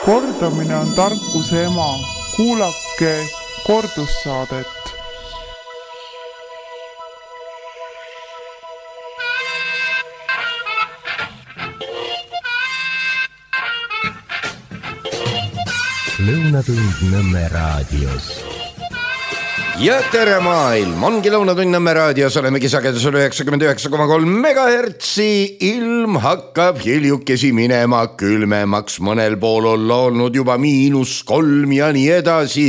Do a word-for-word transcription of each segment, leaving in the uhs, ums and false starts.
Kordamine on tarkuse ema. Kuulake kordussaadet. Lõunatund Nõmme raadios. Ja tere maailm, ongi Lõunatund Nõmme raadios, olemegi sagedusel üheksakümmend üheksa koma kolm megahertsi. Ilm hakkab hiljukesi minema külmemaks, mõnel pool on olnud juba miinus kolm ja nii edasi.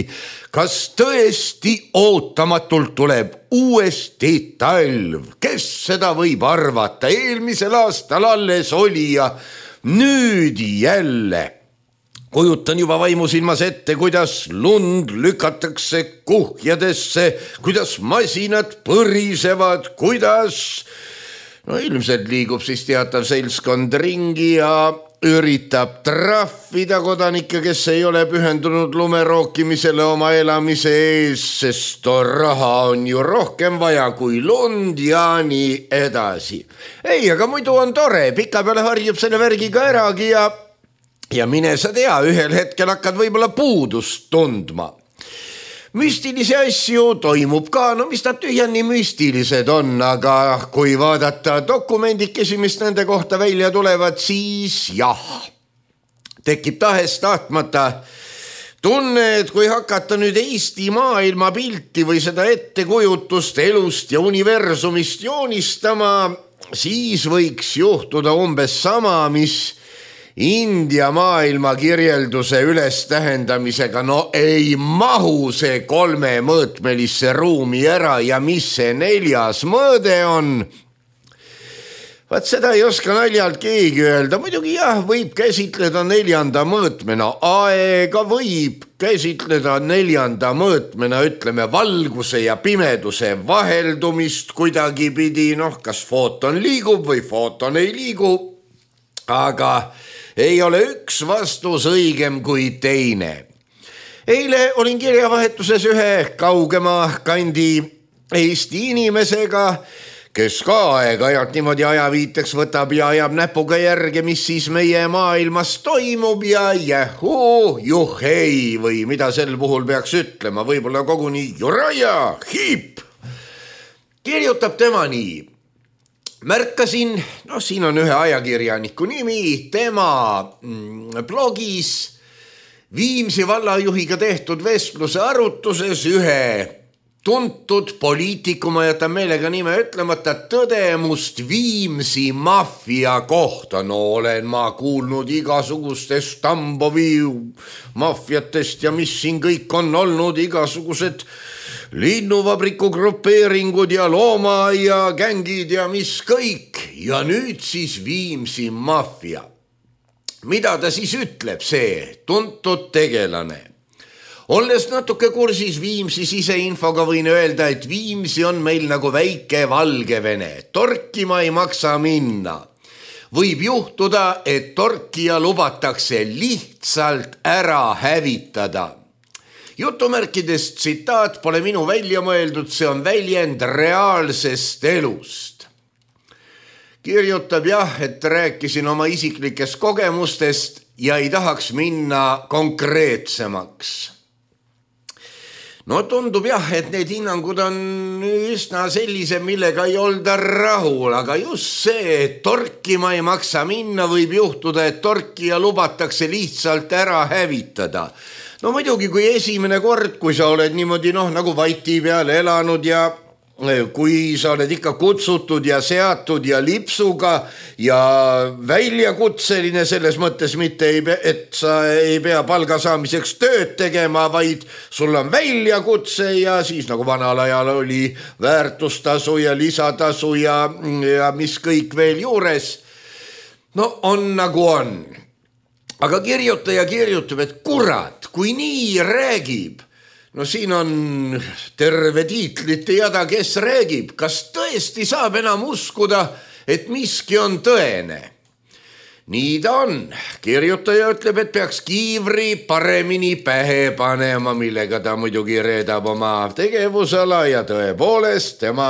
Kas tõesti ootamatult tuleb uuesti talv? Kes seda võib arvata? Eelmisel aastal alles oli ja nüüd jälle. Kujutan juba vaimusilmas ette, kuidas lund lükatakse kuhjadesse, kuidas masinad põrisevad, kuidas no ilmselt liigub siis teatav seltskond ringi ja üritab trahvida kodanikke, kes ei ole pühendunud lumerookimisele oma elamise ees, sest raha on ju rohkem vaja kui lund ja nii edasi. Ei, aga muidu on tore, pika peale harjub selle värgiga äragi ja Ja mine sa tea, ühel hetkel hakkad võib-olla puudust tundma. Müstilisi asju toimub ka, no mis nad tühjani müstilised on, aga kui vaadata dokumendikesi, mis nende kohta välja tulevad, siis jah, tekib tahes tahtmata tunne, et kui hakata nüüd Eesti maailma pilti või seda ettekujutust elust ja universumist joonistama, siis võiks juhtuda umbes sama, mis India maailma kirjelduse üles tähendamisega. No ei mahu see kolme mõõtmelisse ruumi ära ja mis see neljas mõõde on? Vaat seda ei oska naljalt keegi öelda. Muidugi jah, võib käsitleda neljanda mõõtmena. Aega võib käsitleda neljanda mõõtmena, ütleme valguse ja pimeduse vaheldumist kuidagi pidi. Noh, kas footon liigub või footon ei liigu, aga ei ole üks vastus õigem kui teine. Eile olin kirjavahetuses ühe kaugema kandi Eesti inimesega, kes ka aeg-ajalt niimoodi ajaviiteks võtab ja ajab näpuga järge, mis siis meie maailmas toimub ja jähuu, juhhei või mida sel puhul peaks ütlema, võib-olla koguni juraja, hiip. Kirjutab tema nii. Märkasin, no siin on ühe ajakirjaniku nimi, tema blogis Viimsi vallajuhiga tehtud vestluse arutuses ühe tuntud poliitiku, ma jätan meelega nime ütlemata, tõdemust Viimsi maffia kohta. No olen ma kuulnud igasugustest Tambovi maffiatest ja mis siin kõik on olnud, igasugused linnuvabriku grupeeringud ja looma ja gängid ja mis kõik. Ja nüüd siis Viimsi maffia. Mida ta siis ütleb, see tuntud tegelane? Olles natuke kursis Viimsi siseinfoga võin öelda, et Viimsi on meil nagu väike Valgevene. Torkima ei maksa minna. Võib juhtuda, et torkija lubatakse lihtsalt ära hävitada. Jutumärkidest tsitaat pole minu välja mõeldud, see on väljend reaalsest elust. Kirjutab jah, et rääkisin oma isiklikest kogemustest ja ei tahaks minna konkreetsemaks. No tundub jah, et need hinnangud on üsna sellise, millega ei olda rahul, aga just see, et torkima ei maksa minna, võib juhtuda, et torkija lubatakse lihtsalt ära hävitada. No muidugi, kui esimene kord, kui sa oled niimoodi noh, nagu vaiti peale elanud ja kui sa oled ikka kutsutud ja seatud ja lipsuga ja väljakutseline selles mõttes mitte, et sa ei pea palga saamiseks tööd tegema, vaid sul on väljakutse ja siis nagu vanal ajal oli väärtustasu ja lisatasu ja, ja mis kõik veel juures. No on nagu on. Aga kirjutaja kirjutab, et kurat, kui nii räägib, no siin on terve tiitlite jada, kes räägib, kas tõesti saab enam uskuda, et miski on tõene. Nii ta on. Kirjutaja ütleb, et peaks kiivri paremini pähe panema, millega ta muidugi reedab oma tegevusala ja tõepoolest tema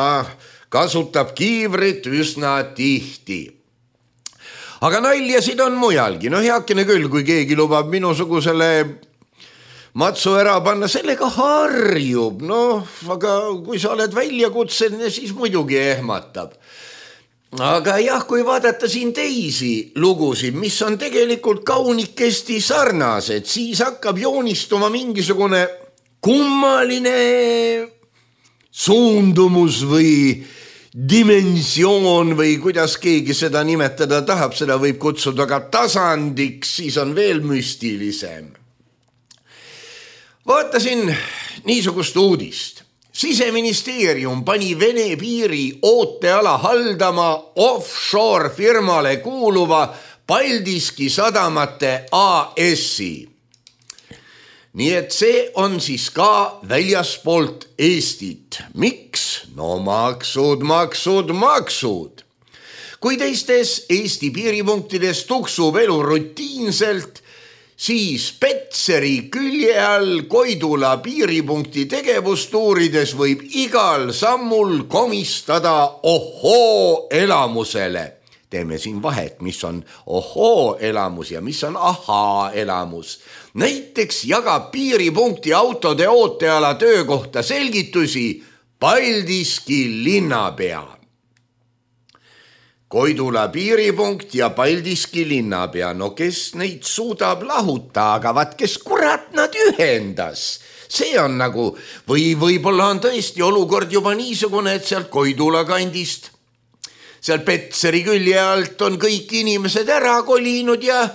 kasutab kiivrit üsna tihti. aga naljasid on mujalgi, no heakene küll, kui keegi lubab minusugusele matsu ära panna, sellega harjub, noh, aga kui sa oled väljakutseline, siis muidugi ehmatab. Aga jah, kui vaadata siin teisi lugusid, mis on tegelikult kaunikesti sarnased, siis hakkab joonistuma mingisugune kummaline suundumus või dimensioon või kuidas keegi seda nimetada tahab, seda võib kutsuda ka tasandiks, siis on veel müstilisem. Vaatasin niisugust uudist. Siseministeerium pani Vene piiri ooteala haldama offshore firmale kuuluva Paldiski sadamate A S-i. Nii et see on siis ka väljaspoolt Eestit. Miks? No maksud, maksud, maksud. Kui teistes Eesti piiripunktides tuksub elu rutiinselt, siis Petseri külje all Koidula piiripunkti tegevustuurides võib igal sammul komistada ohoo elamusele. Teeme siin vahet, mis on ohoo elamus ja mis on ahaa elamus. Näiteks jagab piiripunkti autode ooteala töökohta selgitusi Paldiski linnapea. Koidula piiripunkt ja Paldiski linnapea, no kes neid suudab lahuta, aga vaat kes kurat nad ühendas. See on nagu, või võib-olla on tõesti olukord juba niisugune, et sealt Koidula kandist, seal Petseri külje alt on kõik inimesed ära kolinud ja,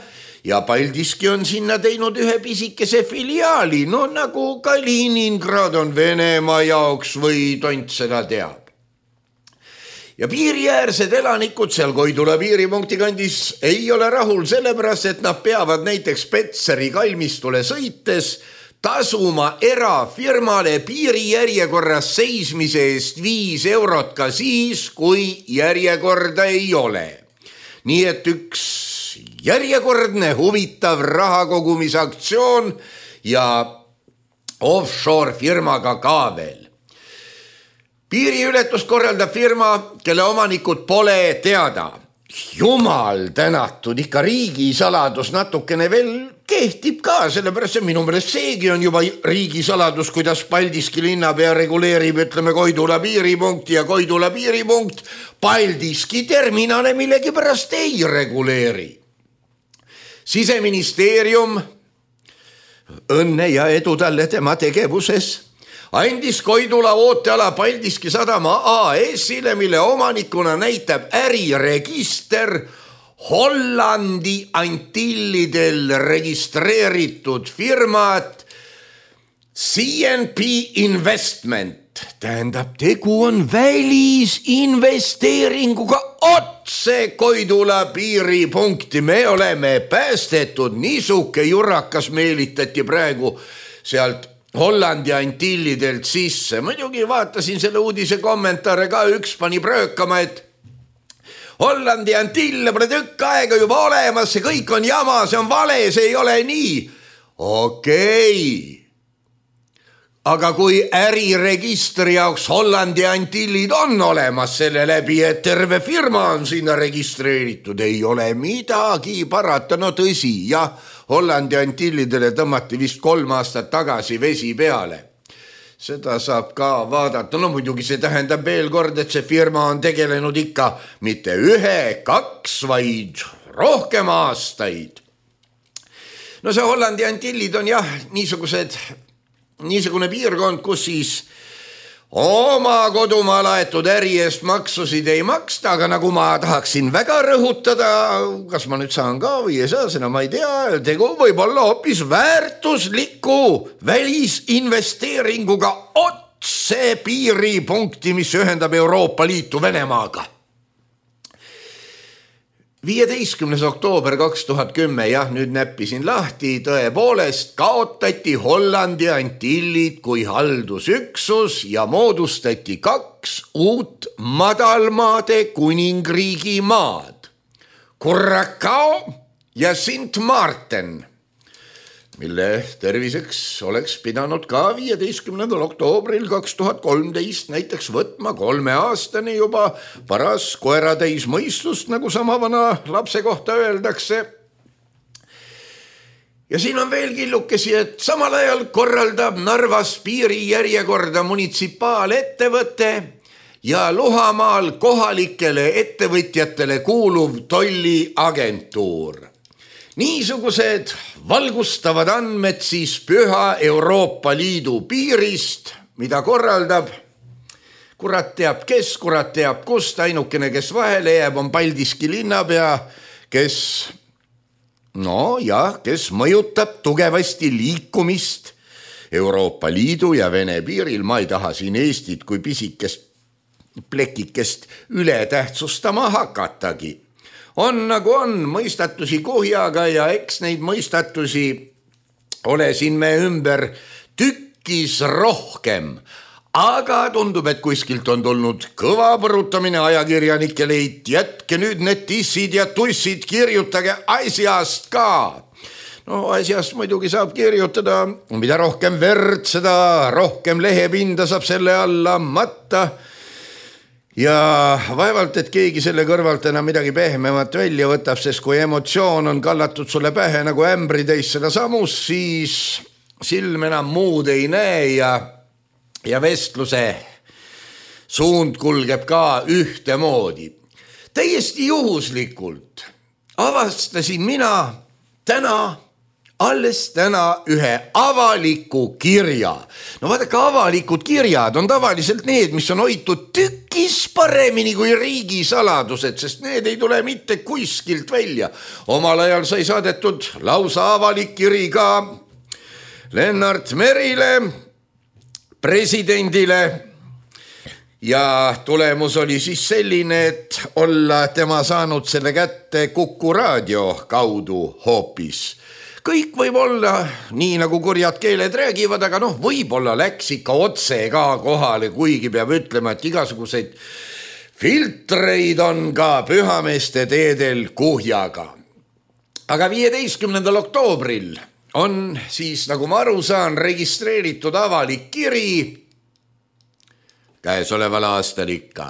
ja Paldiski on sinna teinud ühe pisikese filiaali, no nagu Kaliningrad on Venemaa jaoks või tont seda teab. Ja piiriäärsed elanikud seal Koidula piiripunkti kandis ei ole rahul sellepärast, et nad peavad näiteks Petseri kalmistule sõites tasuma erafirmale piirijärjekorras seismise eest viis eurot ka siis, kui järjekorda ei ole. Nii et üks järjekordne huvitav rahakogumisaktsioon ja offshore firmaga ka veel. Piiriületust korraldab firma, kelle omanikud pole teada. Jumal tänatud, ikka riigisaladus natukene veel kehtib ka, sellepärast see minu meelest seegi on juba riigisaladus, kuidas Paldiski linnapea reguleerib, ütleme Koidula piiripunkti ja Koidula piiripunkt Paldiski terminale millegi pärast ei reguleeri. Siseministeerium, õnne ja edu talle tema tegevuses, andis Koidula ooteala Paldiski sadama A S-ile, mille omanikuna näitab äriregister Hollandi Antillidel registreeritud firmat C N P Investment. Tähendab, tegu on välisinvesteeringuga otse Koidula piiripunkti. Me oleme päästetud, niisuke jurakas meelitati praegu sealt Hollandi Antillidelt sisse. Muidugi vaatasin selle uudise kommentaare ka, üks pani pröökama, et Hollandi Antille pole tükk aega juba olemas, see kõik on jama, see on vale, see ei ole nii. Okei. Aga kui äriregistri jaoks Hollandi Antillid on olemas selle läbi, et terve firma on sinna registreeritud, ei ole midagi parata, no tõsi, jah, Hollandi Antillidele tõmmati vist kolm aastat tagasi vesi peale. Seda saab ka vaadata, no muidugi see tähendab veel kord, et see firma on tegelenud ikka mitte ühe, kaks, vaid rohkem aastaid. No see Hollandi Antillid on jah, niisugused, niisugune piirkond, kus siis oma kodumaa laetud äri eest maksusid ei maksta, aga nagu ma tahaksin väga rõhutada, kas ma nüüd saan ka või ei saa, seda ma ei tea, tegu võib olla hoopis väärtusliku välisinvesteeringuga otse piiripunkti, mis ühendab Euroopa Liitu Venemaaga. viieteistkümnes oktoober kaks tuhat kümme, jah, nüüd näppisin lahti, tõepoolest kaotati Hollandi Antillid kui haldusüksus ja moodustati kaks uut madalmaade kuningriigi maad, Curaçao ja Sint Maarten. mille terviseks oleks pidanud ka viieteistkümnendal oktoobril kaks tuhat kolmteist näiteks võtma kolmeaastane juba paras koeratäis mõistust, nagu sama vana lapse kohta öeldakse. Ja siin on veel killukesi, et samal ajal korraldab Narvas piirijärjekorda munitsipaalettevõte ja Luhamaal kohalikele ettevõtjatele kuuluv tolliagentuur. Niisugused valgustavad andmed siis Püha Euroopa Liidu piirist, mida korraldab kurat teab kes, kurat teab kust, ainukene, kes vahele jääb, on Paldiski linnapea, kes no jah, kes mõjutab tugevasti liikumist Euroopa Liidu ja Vene piiril. Ma ei taha siin Eestit kui pisikest plekikest üle tähtsustama hakatagi. On nagu on mõistatusi kuhjaga ja eks neid mõistatusi ole siin me ümber tükkis rohkem. Aga tundub, et kuskilt on tulnud kõva põrutamine ajakirjanikele, et jätke nüüd need tissid ja tussid, kirjutage asjast ka. No asjast muidugi saab kirjutada, mida rohkem verd, seda rohkem lehepinda saab selle alla matta. Ja vaevalt, et keegi selle kõrvalt enam midagi pehmemat välja võtab, sest kui emotsioon on kallatud sulle pähe nagu ämbritäis seda samus, siis silm enam muud ei näe ja ja vestluse suund kulgeb ka ühtemoodi. Täiesti juhuslikult avastasin mina täna, alles täna ühe avaliku kirja. No vaadake, avalikud kirjad on tavaliselt need, mis on hoitud tükis paremini kui riigisaladused, sest need ei tule mitte kuskilt välja. Omal ajal sai saadetud lausa avalik kiri ka Lennart Merile, presidendile, ja tulemus oli siis selline, et olla tema saanud selle kätte Kuku raadio kaudu hoopis. Kõik võib olla nii, nagu kurjad keeled räägivad, aga noh, võib-olla läks ikka otse ka kohale, kuigi peab ütlema, et igasuguseid filtreid on ka pühameeste teedel kuhjaga. Aga viieteistkümnendal oktoobril on siis, nagu ma aru saan, registreeritud avalik kiri käesoleval aastal ikka,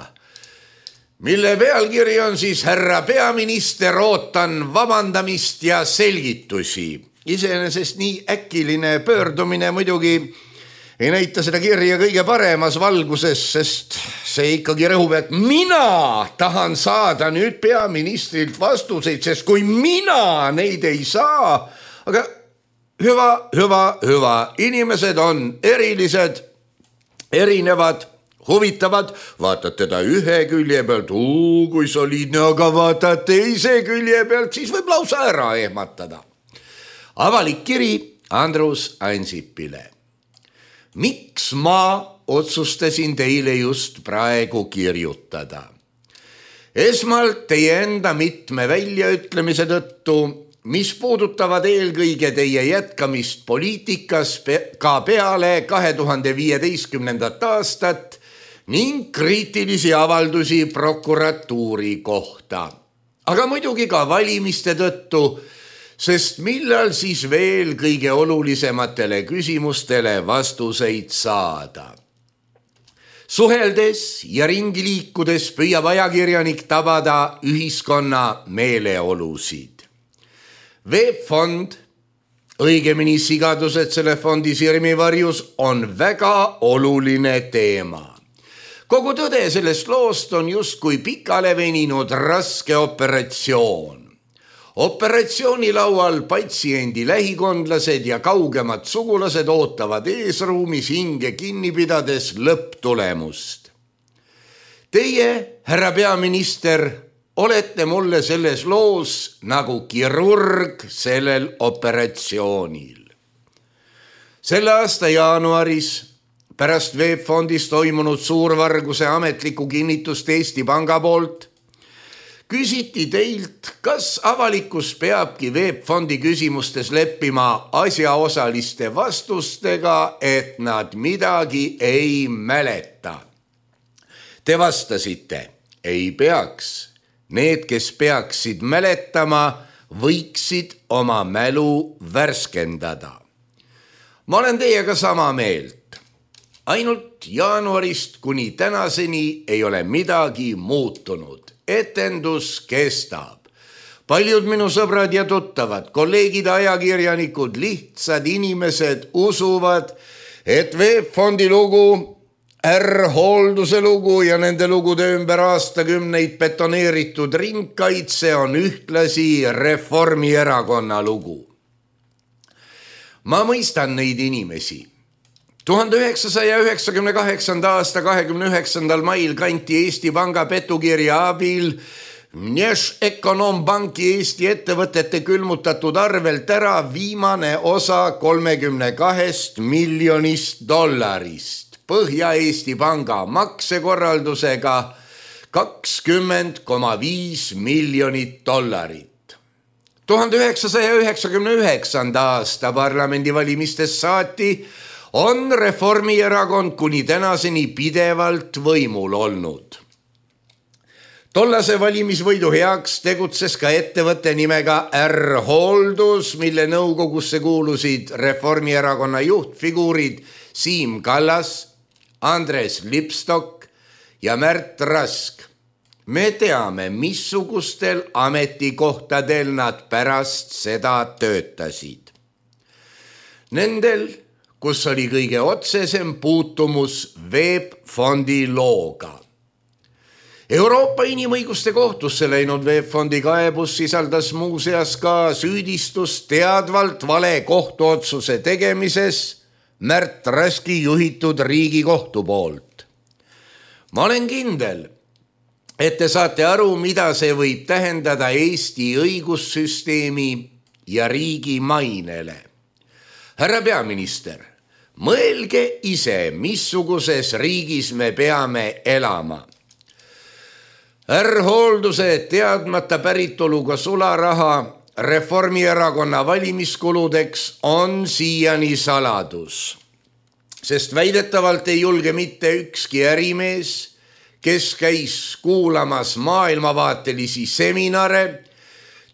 mille pealkiri on siis härra peaminister, ootan vabandamist ja selgitusi. Iseenesest nii äkiline pöördumine muidugi ei näita seda kirja kõige paremas valguses, sest see ikkagi rõhub, et mina tahan saada nüüd peaministrilt vastuseid, sest kui mina neid ei saa, aga hüva, hüva, hüva, inimesed on erilised, erinevad, huvitavad, vaatad teda ühe külje pealt, uu, kui soliidne, aga vaatad teise külje pealt, siis võib lausa ära ehmatada. Avalik kiri Andrus Ansipile. Miks ma otsustasin teile just praegu kirjutada? Esmalt teie enda mitme väljaütlemise tõttu, mis puudutavad eelkõige teie jätkamist poliitikas ka peale kahe tuhande viieteistkümnendat aastat ning kriitilisi avaldusi prokuratuuri kohta. Aga muidugi ka valimiste tõttu, sest millal siis veel kõige olulisematele küsimustele vastuseid saada. Suheldes ja ringi liikudes püüab ajakirjanik tabada ühiskonna meeleolusid. Veebfond, õigemini sigadused selle fondi sirmivarjus, on väga oluline teema. Kogu tõde sellest loost on justkui pikale veninud raske operatsioon. Operatsiooni laual patsiendi lähikondlased ja kaugemad sugulased ootavad eesruumis hinge kinni pidades lõpptulemust. Teie, härra peaminister, olete mulle selles loos nagu kirurg sellel operatsioonil. Selle aasta jaanuaris pärast Veebfondis toimunud suurvarguse ametliku kinnitust Eesti Panga poolt küsiti teilt, kas avalikkus peabki Veebfondi küsimustes leppima asjaosaliste vastustega, et nad midagi ei mäleta. Te vastasite, ei peaks. Need, kes peaksid mäletama, võiksid oma mälu värskendada. Ma olen teiega sama meelt. Ainult jaanuarist kuni tänaseni ei ole midagi muutunud. Etendus kestab. Paljud minu sõbrad ja tuttavad, kolleegid, ajakirjanikud, lihtsad inimesed usuvad, et VEB Fondi lugu, R-hoolduse lugu ja nende lugude ümber aastakümneid betoneeritud ringkaitse on ühtlasi Reformierakonna lugu. Ma mõistan neid inimesi. tuhande üheksasaja üheksakümne kaheksanda aasta kahekümne üheksandal mail kanti Eesti Panga petukirja abil Nešekonombanki Eesti ettevõtete külmutatud arvelt ära viimane osa kolmekümne kahest miljonist dollarist Põhja-Eesti Panga maksekorraldusega kakskümmend koma viis miljonit dollarit. tuhande üheksasaja üheksakümne üheksanda aasta parlamendivalimistest saati on Reformierakond kuni tänaseni pidevalt võimul olnud. Tollase valimisvõidu heaks tegutses ka ettevõtte nimega R-hooldus, mille nõukogusse kuulusid Reformierakonna juhtfiguurid Siim Kallas, Andres Lipstok ja Märt Rask. Me teame, missugustel ametikohtadel nad pärast seda töötasid. Nendel, kus oli kõige otsesem puutumus VEB Fondi looga. Euroopa Inimõiguste Kohtusse läinud VEB Fondi kaebus sisaldas muuseas ka süüdistust teadvalt vale kohtuotsuse tegemises Märt Raski juhitud Riigikohtu poolt. Ma olen kindel, et te saate aru, mida see võib tähendada Eesti õigussüsteemi ja riigi mainele. Härra peaminister, mõelge ise, missuguses riigis me peame elama. R-hoolduse teadmata päritoluga sularaha Reformierakonna valimiskuludeks on siiani saladus, sest väidetavalt ei julge mitte ükski ärimees, kes käis kuulamas maailmavaatelisi seminare,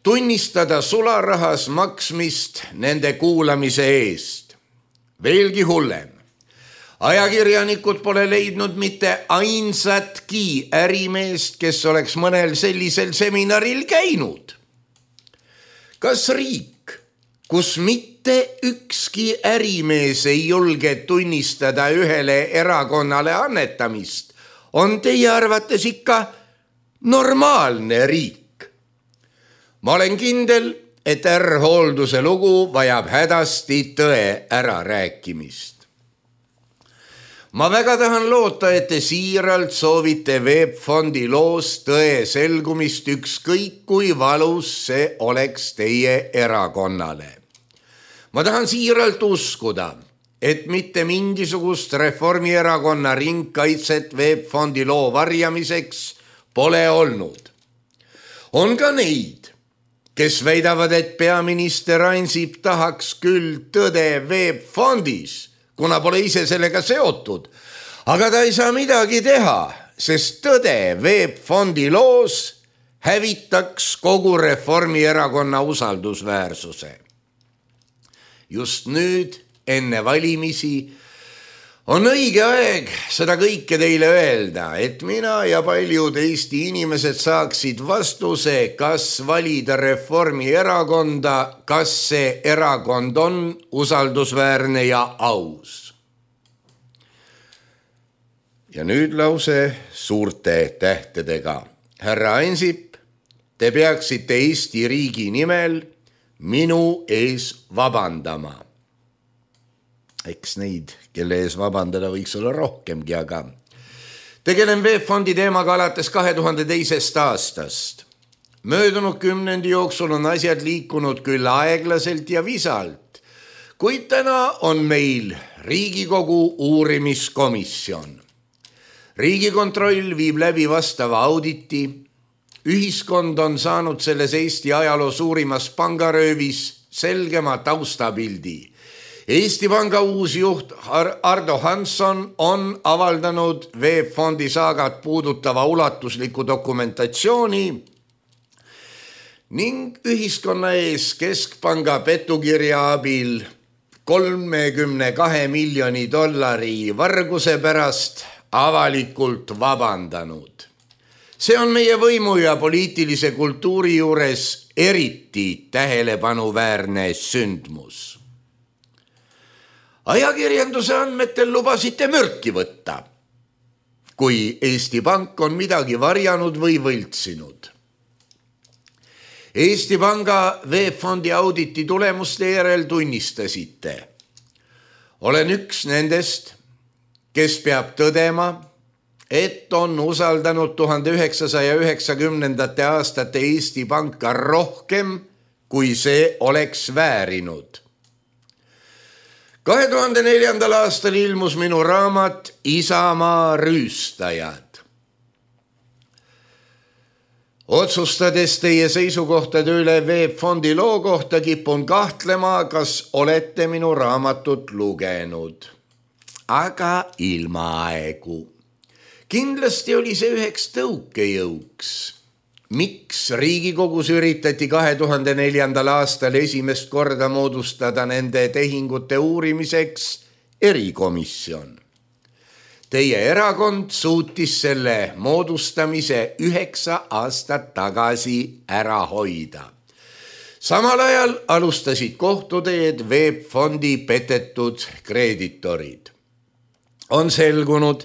tunnistada sularahas maksmist nende kuulamise eest. Veelgi hullem. Ajakirjanikud pole leidnud mitte ainsatki ärimeest, kes oleks mõnel sellisel seminaril käinud. Kas riik, kus mitte ükski ärimees ei julge tunnistada ühele erakonnale annetamist, on teie arvates ikka normaalne riik? Ma olen kindel, et R-hoolduse lugu vajab hädasti tõe ärarääkimist. Ma väga tahan loota, et te siiralt soovite VEB Fondi loos tõe selgumist, ükskõik kui valus see oleks teie erakonnale. Ma tahan siiralt uskuda, et mitte mingisugust Reformierakonna ringkaitset VEB Fondi loo varjamiseks pole olnud. On ka neid, kes väidavad, et peaminister Ansip tahaks küll tõde VEB Fondis, kuna pole ise sellega seotud, aga ta ei saa midagi teha, sest tõde VEB Fondi loos hävitaks kogu Reformierakonna usaldusväärsuse. Just nüüd, enne valimisi, on õige aeg seda kõike teile öelda, et mina ja paljud Eesti inimesed saaksid vastuse, kas valida Reformierakonda, kas see erakond on usaldusväärne ja aus. Ja nüüd lause suurte tähtedega. Härra Ansip, te peaksite Eesti riigi nimel minu ees vabandama. Eks neid, kelle ees vabandada võiks olla rohkemgi, aga tegelen VEB Fondi teemaga alates kahe tuhande teisest aastast. Möödunud kümnendi jooksul on asjad liikunud küll aeglaselt ja visalt, kuid täna on meil Riigikogu uurimiskomisjon. Riigikontroll viib läbi vastava auditi. Ühiskond on saanud selles Eesti ajaloo suurimas pangaröövis selgema taustabildi. Eesti Panga uus juht Ardo Hansson on avaldanud VEB Fondi saagat puudutava ulatusliku dokumentatsiooni ning ühiskonna ees Keskpanga petukirja abil kolmekümne kahe miljoni dollari varguse pärast avalikult vabandanud. See on meie võimu ja poliitilise kultuuri juures eriti tähelepanuväärne sündmus. Ajakirjanduse andmetel lubasite mürki võtta, kui Eesti Pank on midagi varjanud või võltsinud. Eesti Panga VEB-fondi auditi tulemuste järel tunnistasite. Olen üks nendest, kes peab tõdema, et on usaldanud tuhande üheksasaja üheksakümnendate aastate Eesti Panka rohkem, kui see oleks väärinud. kahe tuhande neljandal aastal ilmus minu raamat Isamaa rüüstajad. Otsustades teie seisukohtade üle VEB-fondi loo kohta kipun kahtlema, kas olete minu raamatut lugenud. Aga ilmaaegu. Kindlasti oli see üheks tõukejõuks. Miks Riigikogus üritati kahe tuhande neljandal aastal esimest korda moodustada nende tehingute uurimiseks erikomisjon? Teie erakond suutis selle moodustamise üheksa aastat tagasi ära hoida. Samal ajal alustasid kohtuteed VEB-fondi petetud kreeditorid. On selgunud,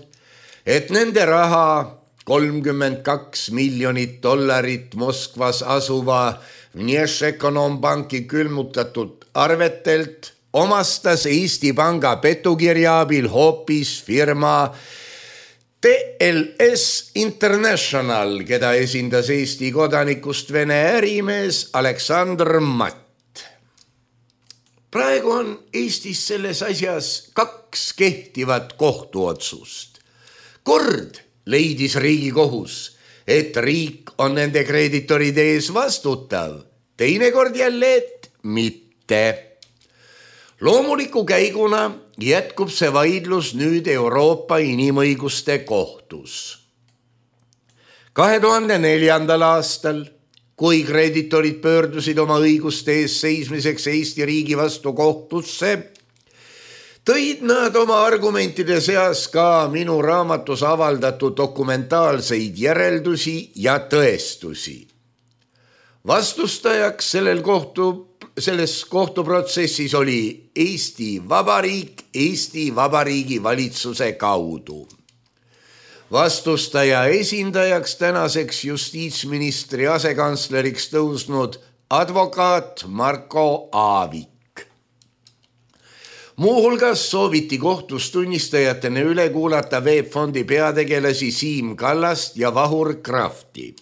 et nende raha kolmkümmend kaks miljonit dollarit Moskvas asuva Vnešekonombanki külmutatud arvetelt omastas Eesti Panga petukirja abil hoopis firma T L S International, keda esindas Eesti kodanikust Vene ärimees Aleksandr Matt. Praegu on Eestis selles asjas kaks kehtivat kohtuotsust. Kord leidis Riigikohus, et riik on nende kreeditoride ees vastutav, teinekord jälle, et mitte. Loomuliku käiguna jätkub see vaidlus nüüd Euroopa Inimõiguste Kohtus. kahe tuhande neljandal aastal, kui kreeditorid pöördusid oma õiguste ees seismiseks Eesti riigi vastu kohtusse, tõid nad oma argumentide seas ka minu raamatus avaldatud dokumentaalseid järeldusi ja tõestusi. Vastustajaks sellel kohtu, selles kohtuprotsessis oli Eesti Vabariik Eesti Vabariigi valitsuse kaudu. Vastustaja esindajaks tänaseks justiitsministri asekantsleriks tõusnud advokaat Marko Aavik. Muuhulgas sooviti kohtus tunnistajatena üle kuulata VEB-fondi peategelasi Siim Kallast ja Vahur Krafti.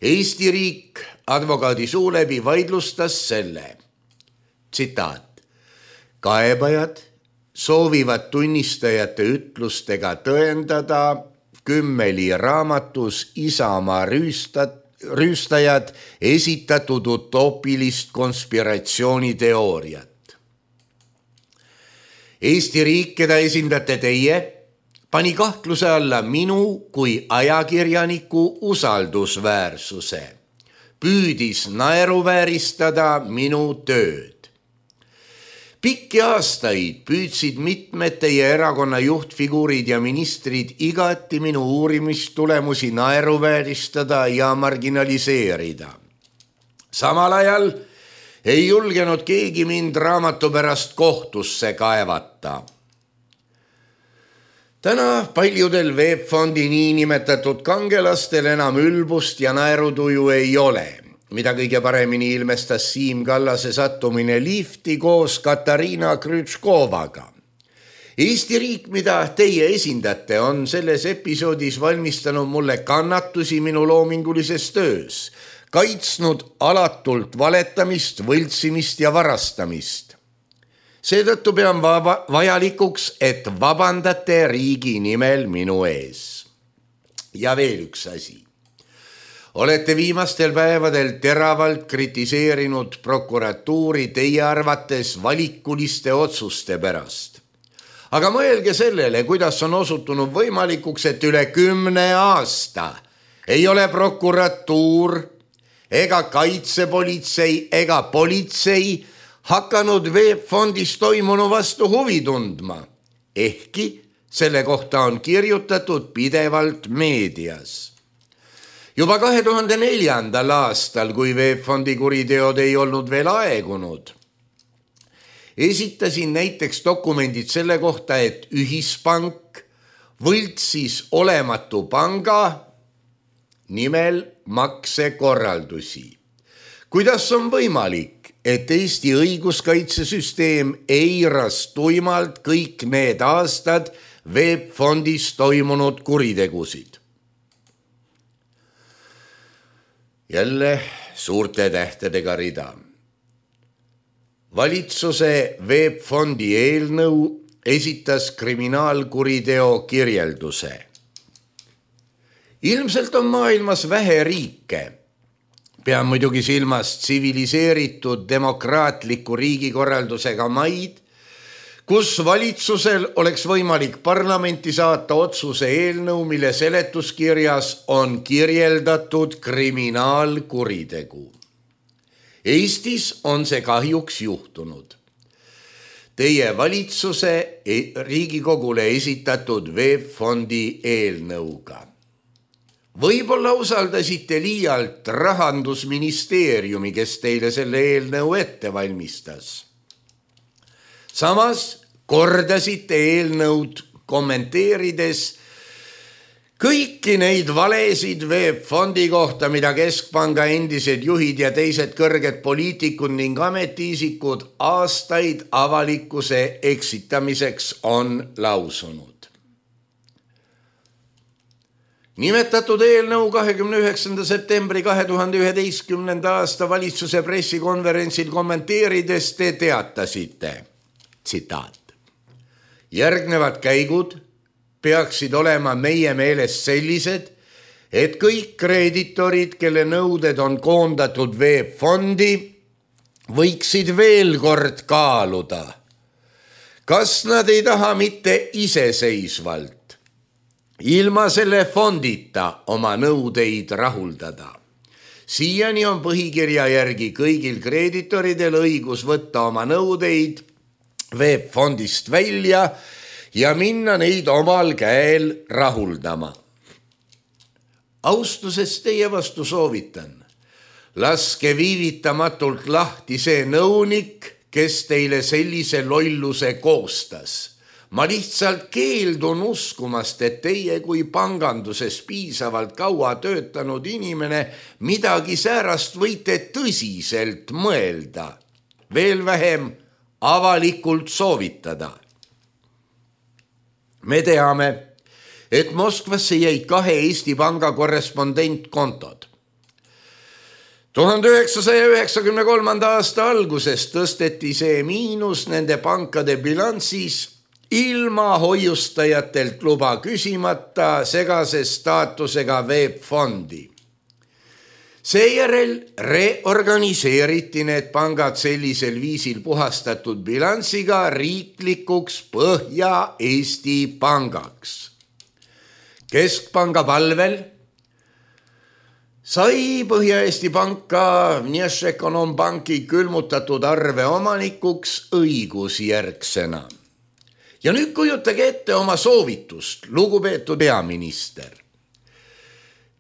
Eesti riik advokaadi suu läbi vaidlustas selle. Tsitaat. Kaebajad soovivad tunnistajate ütlustega tõendada Kümmeli raamatus Isamaa rüüstat, rüüstajad esitatud utoopilist konspiratsiooniteooriat. Eesti riik, keda esindate teie, pani kahtluse alla minu kui ajakirjaniku usaldusväärsuse. Püüdis naeruvääristada minu tööd. Pikki aastaid püüdsid mitmed teie erakonna juhtfiguurid ja ministrid igati minu uurimistulemusi naeruvääristada ja marginaliseerida. Samal ajal ei julgenud keegi mind raamatu pärast kohtusse kaevata. Täna paljudel VEB-fondi niinimetatud kangelastel enam ülbust ja naerutuju ei ole, mida kõige paremini ilmestas Siim Kallase sattumine lifti koos Katariina Krütškovaga. Eesti riik, mida teie esindate, on selles episoodis valmistanud mulle kannatusi minu loomingulises töös, kaitsnud alatult valetamist, võltsimist ja varastamist. Seetõttu pean vaba, vajalikuks, et vabandate riigi nimel minu ees. Ja veel üks asi. Olete viimastel päevadel teravalt kritiseerinud prokuratuuri teie arvates valikuliste otsuste pärast. Aga mõelge sellele, kuidas on osutunud võimalikuks, et üle kümne aasta ei ole prokuratuur ega kaitsepolitsei ega politsei hakanud VEB Fondis toimunu vastu huvi tundma, ehkki selle kohta on kirjutatud pidevalt meedias. Juba kahe tuhande neljandal aastal, kui VEB Fondi kuriteod ei olnud veel aegunud, esitasin näiteks dokumendid selle kohta, et ühispank võltsis olematu panga nimel maksekorraldusi. Kuidas on võimalik, et Eesti õiguskaitsesüsteem eiras tuimalt kõik need aastad VEB Fondis toimunud kuritegusid? Jälle suurte tähtedega rida. Valitsuse VEB Fondi eelnõu esitas kriminaalkuriteo kirjelduse. Ilmselt on maailmas vähe riike, pean muidugi silmas tsiviliseeritud demokraatliku riigikorraldusega maid, kus valitsusel oleks võimalik parlamenti saata otsuse eelnõu, mille seletuskirjas on kirjeldatud kriminaalkuritegu. Eestis on see kahjuks juhtunud. Teie valitsuse Riigikogule esitatud VEB Fondi eelnõuga. Võib-olla usaldasite liialt Rahandusministeeriumi, kes teile selle eelnõu ette valmistas. Samas kordasite eelnõud kommenteerides kõiki neid valesid VEB Fondi kohta, mida Keskpanga endised juhid ja teised kõrged poliitikud ning ametiisikud aastaid avalikkuse eksitamiseks on lausunud. Nimetatud eelnõu kahekümne üheksanda septembri kahe tuhande üheteistkümnenda aasta valitsuse pressikonverentsil kommenteerides te teatasite, tsitaat: järgnevad käigud peaksid olema meie meelest sellised, et kõik kreeditorid, kelle nõuded on koondatud VEB Fondi, võiksid veel kord kaaluda, kas nad ei taha mitte iseseisvalt ilma selle fondita oma nõudeid rahuldada. Siiani on põhikirja järgi kõigil kreeditoridel õigus võtta oma nõudeid VEB Fondist välja ja minna neid omal käel rahuldama. Austusest teie vastu soovitan, laske viivitamatult lahti see nõunik, kes teile sellise lolluse koostas. Ma lihtsalt keeldun uskumast, et teie kui panganduses piisavalt kaua töötanud inimene midagi säärast võite tõsiselt mõelda, veel vähem avalikult soovitada. Me teame, et Moskvasse jäid kahe Eesti Panga korrespondentkontod. tuhande üheksasaja üheksakümne kolmanda aasta alguses tõsteti see miinus nende pankade bilansis ilma hoiustajatelt luba küsimata segase staatusega VEB Fondi. Seejärel reorganiseeriti need pangad sellisel viisil puhastatud bilansiga riiklikuks Põhja-Eesti pangaks. Keskpanga palvel sai Põhja-Eesti panka Vnešekonombanki külmutatud arve omanikuks õigusjärgsena. Ja nüüd kujutage ette oma soovitust, lugupeetud peaminister.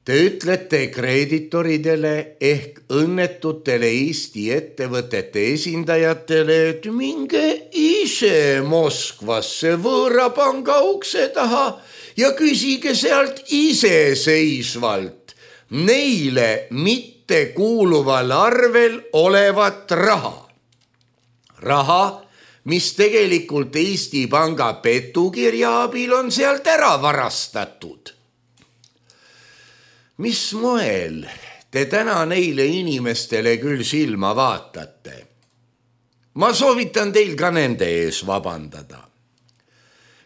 Te ütlete kreeditoridele ehk õnnetutele Eesti ettevõtete esindajatele, et minge ise Moskvasse võõrapanga ukse taha ja küsige sealt iseseisvalt neile mitte kuuluval arvel olevat raha. Raha, mis tegelikult Eesti Panga petukirja abil on sealt ära varastatud. Mis moel te täna neile inimestele küll silma vaatate? Ma soovitan teil ka nende ees vabandada.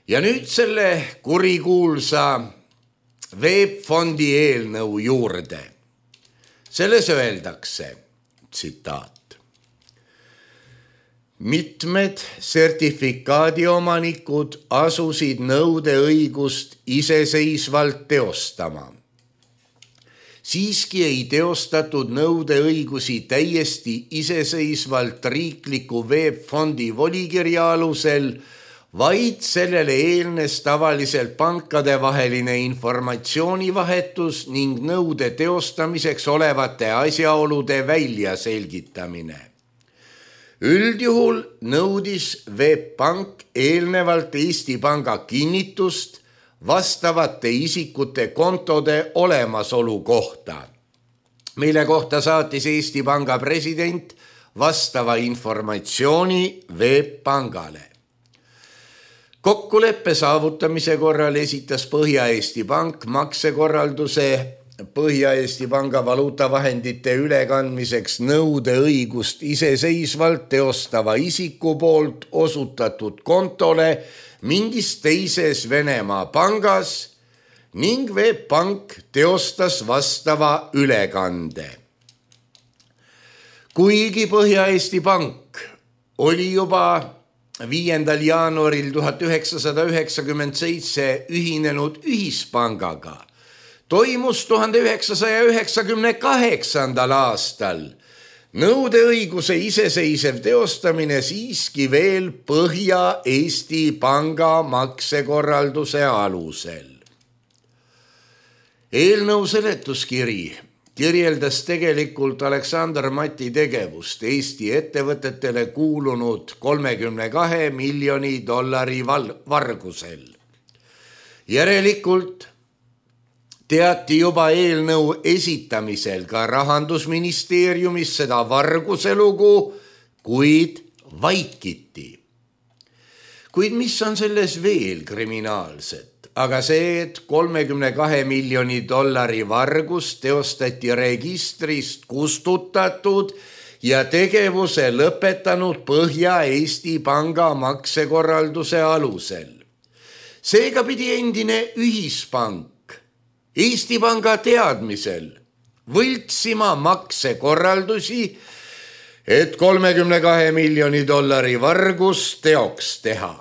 Ja nüüd selle kurikuulsa VEB Fondi eelnõu juurde. Selles öeldakse, tsitaat: mitmed sertifikaadi omanikud asusid nõudeõigust iseseisvalt teostama. siiski ei teostatud nõudeõigusi täiesti iseseisvalt riikliku veebfondi volikirja alusel, vaid sellele eelnes tavaliselt pankade vaheline informatsioonivahetus ning nõude teostamiseks olevate asjaolude väljaselgitamine. Üldjuhul nõudis Veebpank eelnevalt Eesti Panga kinnitust vastavate isikute kontode olemasolu kohta, mille kohta saatis Eesti Panga president vastava informatsiooni Veebpangale. Kokkuleppe saavutamise korral esitas Põhja-Eesti Pank maksekorralduse Põhja-Eesti Panga valuutavahendite ülekandmiseks nõudeõigust iseseisvalt teostava isiku poolt osutatud kontole mingis teises Venemaa pangas ning Veebpank teostas vastava ülekande. Kuigi Põhja-Eesti Pank oli juba viiendal jaanuaril tuhat üheksasada üheksakümmend seitse ühinenud ühispangaga, toimus tuhande üheksasaja üheksakümne kaheksandal aastal nõudeõiguse iseseisev teostamine siiski veel Põhja-Eesti Panga maksekorralduse alusel. Eelnõu seletuskiri kirjeldas tegelikult Aleksandr Mati tegevust Eesti ettevõtetele kuulunud kolmekümne kahe miljoni dollari vargusel. Järelikult teati juba eelnõu esitamisel ka Rahandusministeeriumis seda varguse lugu, kuid vaikiti. Kuid mis on selles veel kriminaalset? Aga see, et kolmekümne kahe miljoni dollari vargus teostati registrist kustutatud ja tegevuse lõpetanud Põhja-Eesti Panga maksekorralduse alusel. Seega pidi endine ühispank Eesti Panga teadmisel võltsima maksekorraldusi, et kolmekümne kahe miljoni dollari vargus teoks teha.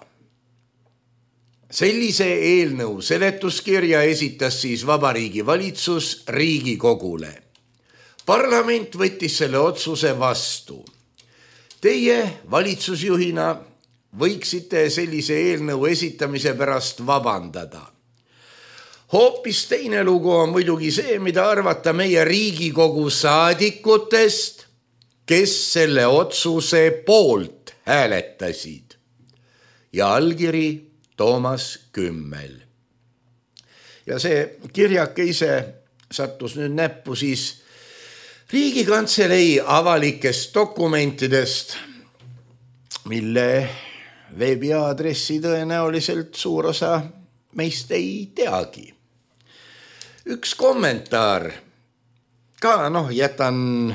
Sellise eelnõu seletuskirja esitas siis Vabariigi Valitsus Riigikogule. Parlament võttis selle otsuse vastu. Teie valitsusjuhina võiksite sellise eelnõu esitamise pärast vabandada. Hoopis teine lugu on muidugi see, mida arvata meie Riigikogu saadikutest, kes selle otsuse poolt hääletasid. Ja allkiri Toomas Kümmel. Ja see kirjake ise sattus nüüd näppu siis Riigikantselei avalikest dokumentidest, mille veebiaadressi tõenäoliselt suur osa meist ei teagi. Üks kommentaar, ka noh, jätan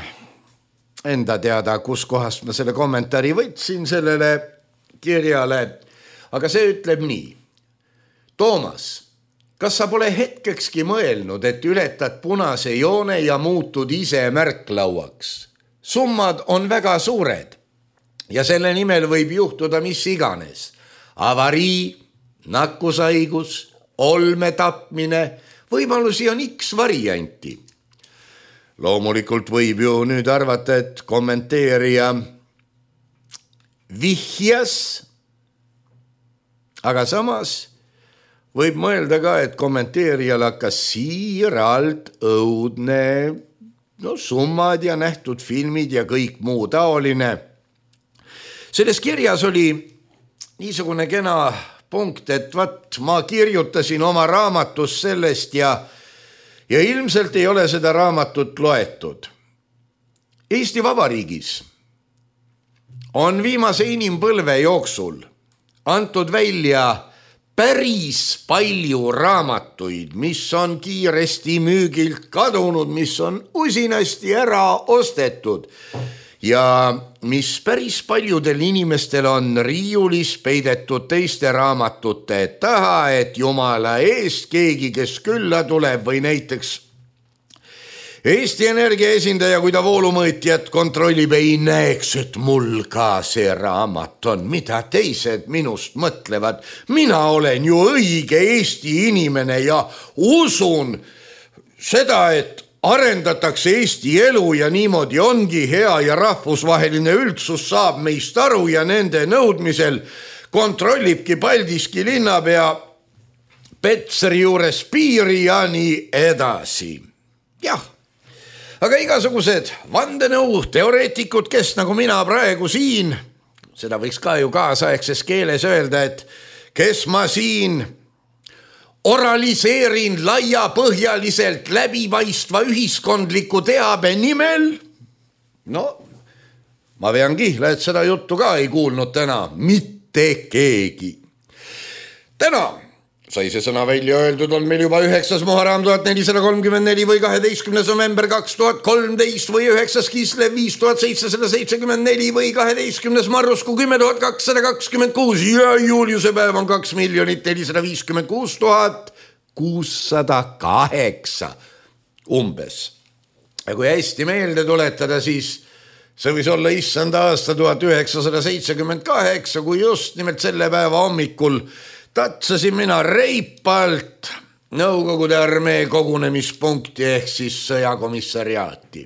enda teada, kus kohast ma selle kommentaari võtsin sellele kirjale, aga see ütleb nii. Toomas, kas sa pole hetkekski mõelnud, et ületad punase joone ja muutud ise märklauaks? Summad on väga suured ja selle nimel võib juhtuda mis iganes. Avarii, nakkusaigus, olmetapmine, võimalusi on X varianti. Loomulikult võib ju nüüd arvata, et kommenteerija vihjas, aga samas võib mõelda ka, et kommenteerijal hakkas siiralt õudne no, summad ja nähtud filmid ja kõik muu taoline. Selles kirjas oli niisugune kena punkt, et vat, ma kirjutasin oma raamatus sellest ja, ja ilmselt ei ole seda raamatut loetud. Eesti Vabariigis on viimase inimpõlve jooksul antud välja päris palju raamatuid, mis on kiiresti müügilt kadunud, mis on usinasti ära ostetud ja mis päris paljudel inimestel on riiulis peidetud teiste raamatute taha, et jumala eest keegi, kes külla tuleb või näiteks Eesti Energia esindaja, kui ta voolumõõtjat kontrollib, ei näeks, et mul ka see raamat on, mida teised minust mõtlevad. Mina olen ju õige Eesti inimene ja usun seda, et arendatakse Eesti elu ja niimoodi ongi hea ja rahvusvaheline üldsus saab meist aru ja nende nõudmisel kontrollibki Paldiski linnapea Petseri juures piiri ja nii edasi. Jah, aga igasugused vandenõu teoreetikud, kes nagu mina praegu siin, seda võiks ka ju kaasaegses keeles öelda, et kes ma siin oraliseerin laiapõhjaliselt läbipaistva ühiskondliku teabe nimel. No, ma vean kihla, et seda juttu ka ei kuulnud täna mitte keegi. Täna sai see sõna välja öeldud, on meil juba üheksas Muharram tuhat nelisada kolmkümmend neli või kaheteistkümnes november kaks tuhat kolmteist või üheksas Kislev viis tuhat seitsesada seitsekümmend neli või kaheteistkümnes Marrusku kümme tuhat kakssada kakskümmend kuus ja Juliuse päev on kaks miljonit nelisada viiskümmend kuus tuhat kuussada kaheksa umbes. Ja kui hästi meelde tuletada, siis see võis olla issanda aasta tuhat üheksasada seitsekümmend kaheksa, kui just nimelt selle päeva hommikul tatsasin mina reipalt Nõukogude armee kogunemispunkti ehk siis sõjakomissariaati.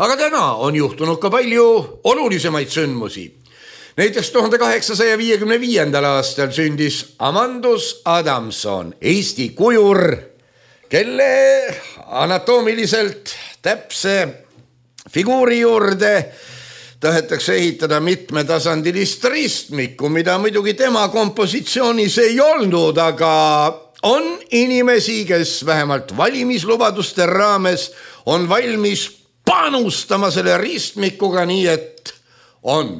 Aga täna on juhtunud ka palju olulisemaid sündmusi. Näiteks tuhande kaheksasaja viiekümne viiendal aastal sündis Amandus Adamson, Eesti kujur, kelle anatoomiliselt täpse figuuri juurde tahetakse ehitada mitmetasandilist ristmikku, mida muidugi tema kompositsioonis ei olnud, aga on inimesi, kes vähemalt valimislubaduste raames on valmis panustama selle ristmikuga, nii et on.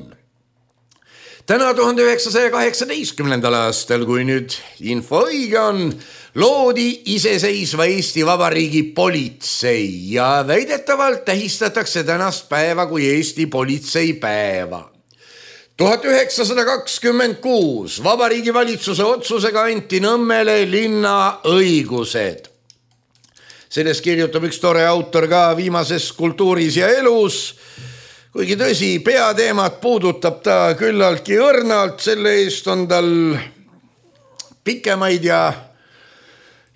Täna tuhande üheksasaja kaheksateistkümnendal aastal, kui nüüd info õige on, loodi iseseisva Eesti Vabariigi politsei ja väidetavalt tähistatakse tänast päeva kui Eesti politseipäeva. tuhat üheksasada kakskümmend kuus Vabariigi valitsuse otsusega anti Nõmmele linna õigused. Sellest kirjutab üks tore autor ka viimases Kultuuris ja elus, kuigi tõsi, peateemat puudutab ta küllaltki õrnalt, selle eest on tal pikemaid ja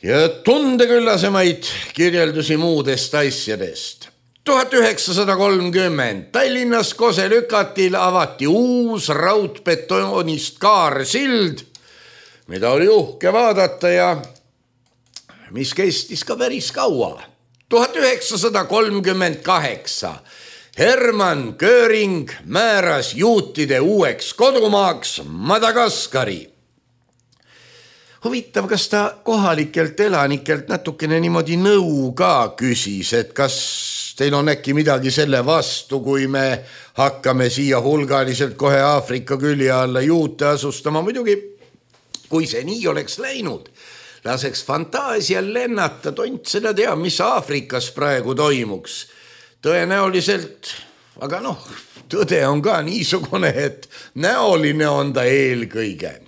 ja tundeküllasemaid kirjeldusi muudest asjadest. tuhat üheksasada kolmkümmend Tallinnas Koselükatil avati uus raudbetoonist kaarsild, mida oli uhke vaadata ja mis kestis ka päris kaua. tuhat üheksasada kolmkümmend kaheksa Hermann Göring määras juutide uueks kodumaaks Madagaskari. Huvitav, kas ta kohalikelt elanikelt natukene niimoodi nõu ka küsis, et kas teil on äkki midagi selle vastu, kui me hakkame siia hulgaliselt kohe Aafrika külje alla juute asustama. Muidugi, kui see nii oleks läinud, laseks fantaasial lennata, tont seda tea, mis Aafrikas praegu toimuks. Tõenäoliselt, aga noh, tõde on ka niisugune, et näoline on ta eelkõige.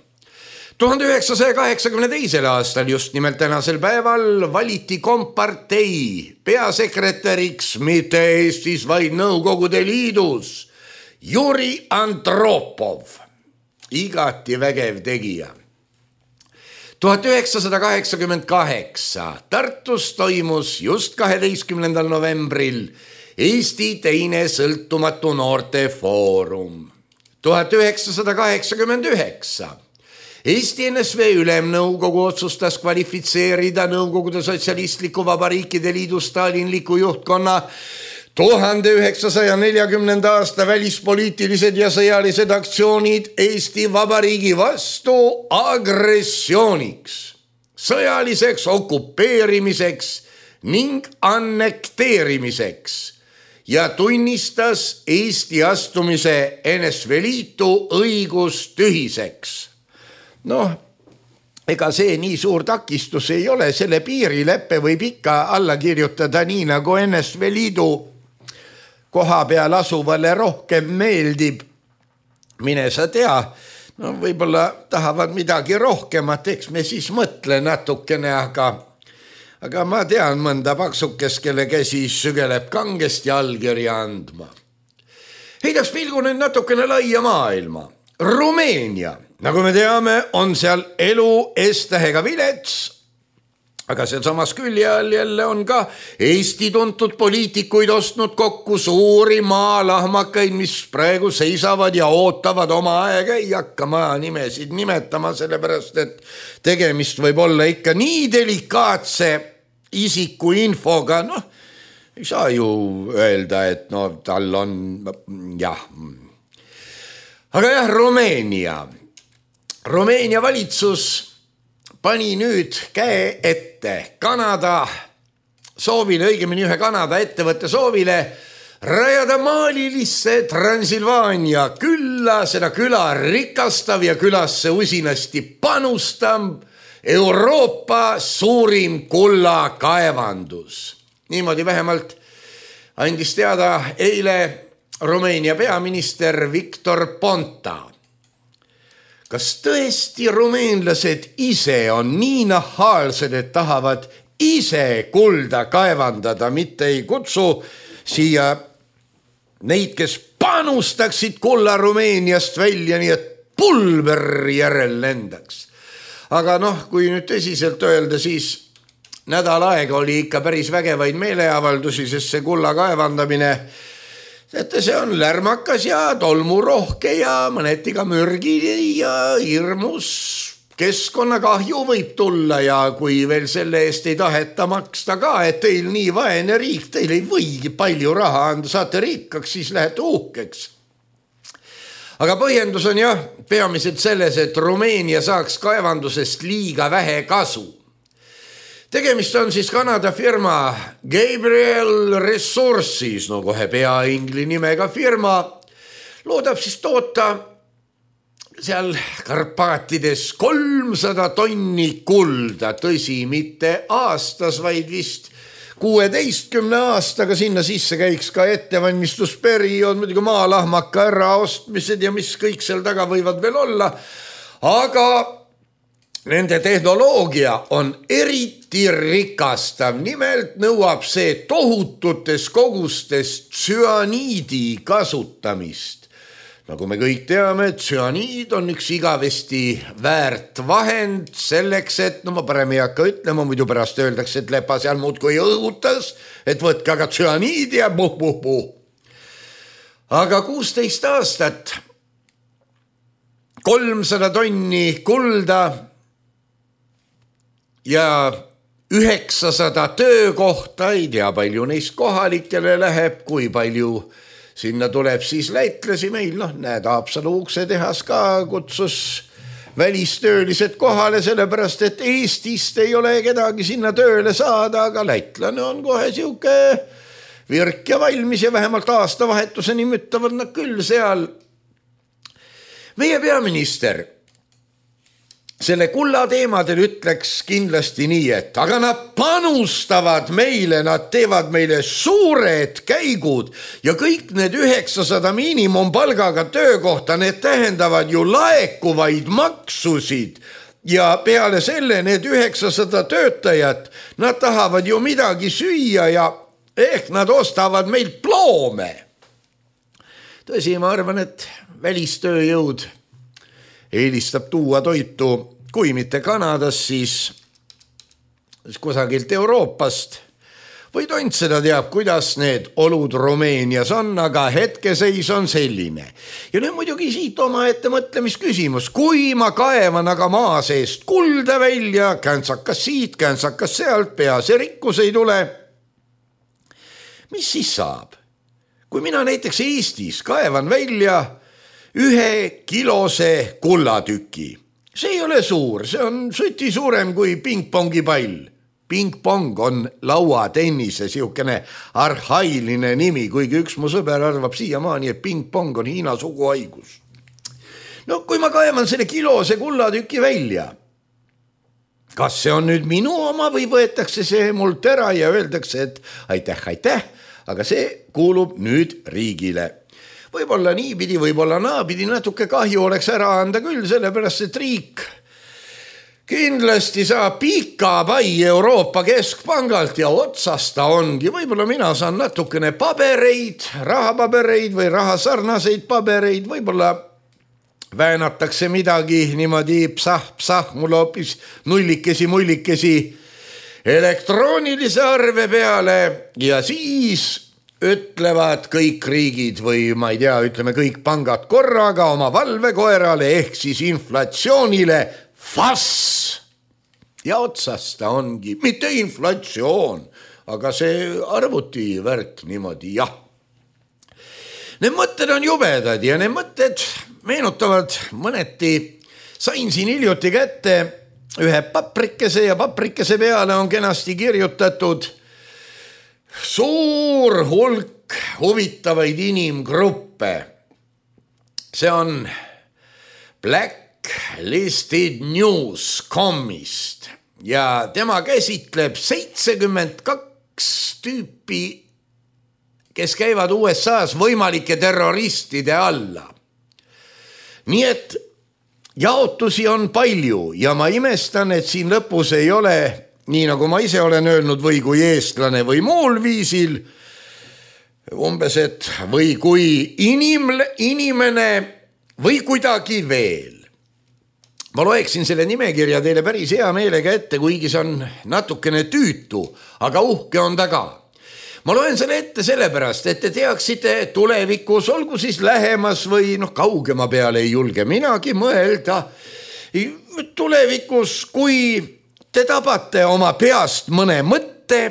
tuhande üheksasaja kaheksakümne teisel aastal just nimelt tänasel päeval valiti kompartei peasekretäriks mitte Eestis, vaid Nõukogude Liidus Juri Andropov, igati vägev tegija. tuhat üheksasada kaheksakümmend kaheksa Tartus toimus just kaheteistkümnendal novembril Eesti teine sõltumatu noorte foorum. tuhat üheksasada kaheksakümmend üheksa Eesti N S V Ülemnõukogu otsustas kvalifitseerida Nõukogude Sotsialistliku Vabariikide Liidu stalinliku juhtkonna tuhande üheksasaja neljakümnenda aasta välispoliitilised ja sõjalised aktsioonid Eesti Vabariigi vastu agressiooniks, sõjaliseks okupeerimiseks ning annekteerimiseks ja tunnistas Eesti astumise N S V Liitu õigustühiseks. Noh, ega see nii suur takistus ei ole, selle piirileppe võib ikka alla kirjutada nii, nagu N S V Liidu koha peal asuvale rohkem meeldib. Mine sa tea, no võib-olla tahavad midagi rohkemat, eks me siis mõtle natukene, aga, aga ma tean mõnda paksukest, kelle käsi sügeleb kangesti allkirja andma. Heidaks pilgu nüüd natukene laia maailma. Rumeenia, nagu me teame, on seal elu S-tähega vilets, aga seal samas külje all jälle on ka Eesti tuntud poliitikuid ostnud kokku suuri maalahmakaid, mis praegu seisavad ja ootavad oma aega. Ei hakka ma nimesid nimetama, sellepärast et tegemist võib olla ikka nii delikaatse isiku infoga. Noh, ei saa ju öelda, et no tal on, jah. Aga jah, Rumeenia. Rumeenia valitsus pani nüüd käe ette Kanada soovile, õigemini ühe Kanada ettevõtte soovile rajada maalilisse Transilvaania külla, seda küla rikastav ja külasse usinasti panustab Euroopa suurim kullakaevandus. Niimoodi vähemalt andis teada eile Rumeenia peaminister Victor Ponta. Kas tõesti rumeenlased ise on nii nahaalsed, et tahavad ise kulda kaevandada, mitte ei kutsu siia neid, kes panustaksid kulla Rumeeniast välja, nii et pulber järel lendaks. Aga noh, kui nüüd tõsiselt öelda, siis nädal aega oli ikka päris vägevaid meeleavaldusi, sest see kulla kaevandamine Sette see on lärmakas ja tolmurohke ja mõneti ka mürgi ja hirmus keskkonnakahju võib tulla ja kui veel selle eest ei taheta maksta ka, et teil nii vaene riik, teil ei võigi palju raha anda, saate rikkaks, siis lähete uhkeks. Aga põhjendus on jah, peamiselt selles, et Rumeenia saaks kaevandusest liiga vähe kasu. Tegemist on siis Kanada firma Gabriel Resources, no kohe pea ingli nimega firma, loodab siis toota seal Karpaatides kolmsada tonni kulda, tõsi, mitte aastas, vaid vist kuueteistkümne aastaga sinna sisse käiks ka ettevalmistusperiood, muidugi maalahmaka äraostmised ja mis kõik seal taga võivad veel olla, aga nende tehnoloogia on eriti rikastav, nimelt nõuab see tohututes kogustes tsüaniidi kasutamist. Nagu me kõik teame, tsüaniid on üks igavesti väärt vahend selleks, et, no ma parem ei hakka ütlema, muidu pärast öeldakse, et lepa seal muud kui õhutas, et võtke aga tsüaniidi ja puh, puh, puh. Aga kuusteist aastat, kolmsada tonni kulda, ja üheksasada töökohta, ei tea palju neist kohalikele läheb, kui palju sinna tuleb siis läitlasi meil, noh näed, Haapsalu uksetehas ka kutsus välistöölised kohale, sellepärast et Eestist ei ole kedagi sinna tööle saada, aga läitlane on kohe siuke virk ja valmis ja vähemalt aastavahetuseni müttavad nad küll seal. Meie peaminister selle kulla teemadel ütleks kindlasti nii, et aga nad panustavad meile, nad teevad meile suured käigud ja kõik need üheksasada miinimumpalgaga töökohta, need tähendavad ju laekuvaid maksusid ja peale selle need üheksasada töötajat, nad tahavad ju midagi süüa ja ehk nad ostavad meilt ploome. Tõsi, ma arvan, et välistööjõud eelistab tuua toitu, kui mitte Kanadas, siis kusagilt Euroopast. Või tont seda teab, kuidas need olud Rumeenias on, aga hetkeseis on selline. Ja nüüd muidugi siit oma ette mõtlemisküsimus. Kui ma kaevan aga maa seest kulda välja, käntsakas siit, käntsakas sealt, pea see rikkus ei tule, mis siis saab? Kui mina näiteks Eestis kaevan välja ühe kilose kullatüki. See ei ole suur, see on suti suurem kui pingpongi pall. Pingpong on lauatennise siukene arhailine nimi, kuigi üks mu sõber arvab siiamaani, et pingpong on Hiina suguhaigus. No kui ma kaevan selle kilose kullatüki välja, kas see on nüüd minu oma või võetakse see mult ära ja öeldakse, et aitäh, aitäh, aga see kuulub nüüd riigile. Võib-olla niipidi, võib-olla naapidi natuke kahju oleks ära anda küll, sellepärast et riik kindlasti saab pika pai Euroopa Keskpangalt ja otsast ta ongi. Võib-olla mina saan natukene pabereid, rahapabereid või rahasarnaseid pabereid, võib-olla väänatakse midagi niimoodi psah, psah, mul hoopis nullikesi, mullikesi elektroonilise arve peale ja siis ütlevad kõik riigid või ma ei tea, ütleme kõik pangad korraga oma valvekoerale ehk siis inflatsioonile fass. Ja otsas ta ongi, mitte inflatsioon, aga see arvuti värk niimoodi, jah. Need mõtted on jubedad ja need mõtted meenutavad mõneti. Sain siin hiljuti kätte ühe paprikese ja paprikese peale on kenasti kirjutatud suur hulk huvitavaid inimgruppe. See on Blacklisted News punkt com'ist ja tema käsitleb seitsekümmend kaks tüüpi, kes käivad U S A-s võimalike terroristide alla. Nii et jaotusi on palju ja ma imestan, et siin lõpus ei ole nii nagu ma ise olen öelnud või kui eestlane või muul viisil, umbes et või kui inimle, inimene või kuidagi veel. Ma loeksin selle nimekirja teile päris hea meelega ette, kuigi see on natukene tüütu, aga uhke on taga. Ma loen selle ette sellepärast, et te teaksite tulevikus, olgu siis lähemas või noh, kaugema peale ei julge minagi mõelda. Tulevikus, kui te tabate oma peast mõne mõtte,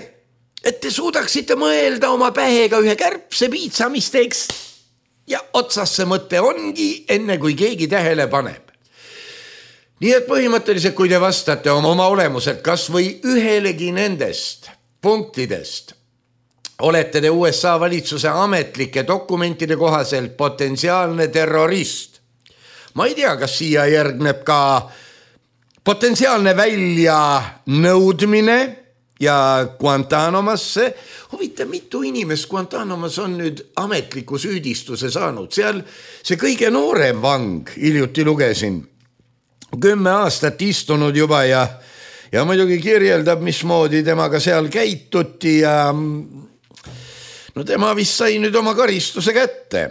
et te suudaksite mõelda oma pähega ühe kärbse piitsa, mis teeks ja otsas see mõte ongi, enne kui keegi tähele paneb. Nii et põhimõtteliselt, kui te vastate oma, oma olemuselt kas või ühelegi nendest punktidest, olete te U S A valitsuse ametlike dokumentide kohaselt potentsiaalne terrorist. Ma ei tea, kas siia järgneb ka potentsiaalne välja nõudmine ja Guantanamosse. Huvitav, mitu inimest Guantanamosse on nüüd ametliku süüdistuse saanud. Seal see kõige noorem vang, hiljuti lugesin, kümme aastat istunud juba ja, ja muidugi kirjeldab, mismoodi temaga seal käituti ja no tema vist sai nüüd oma karistuse kätte.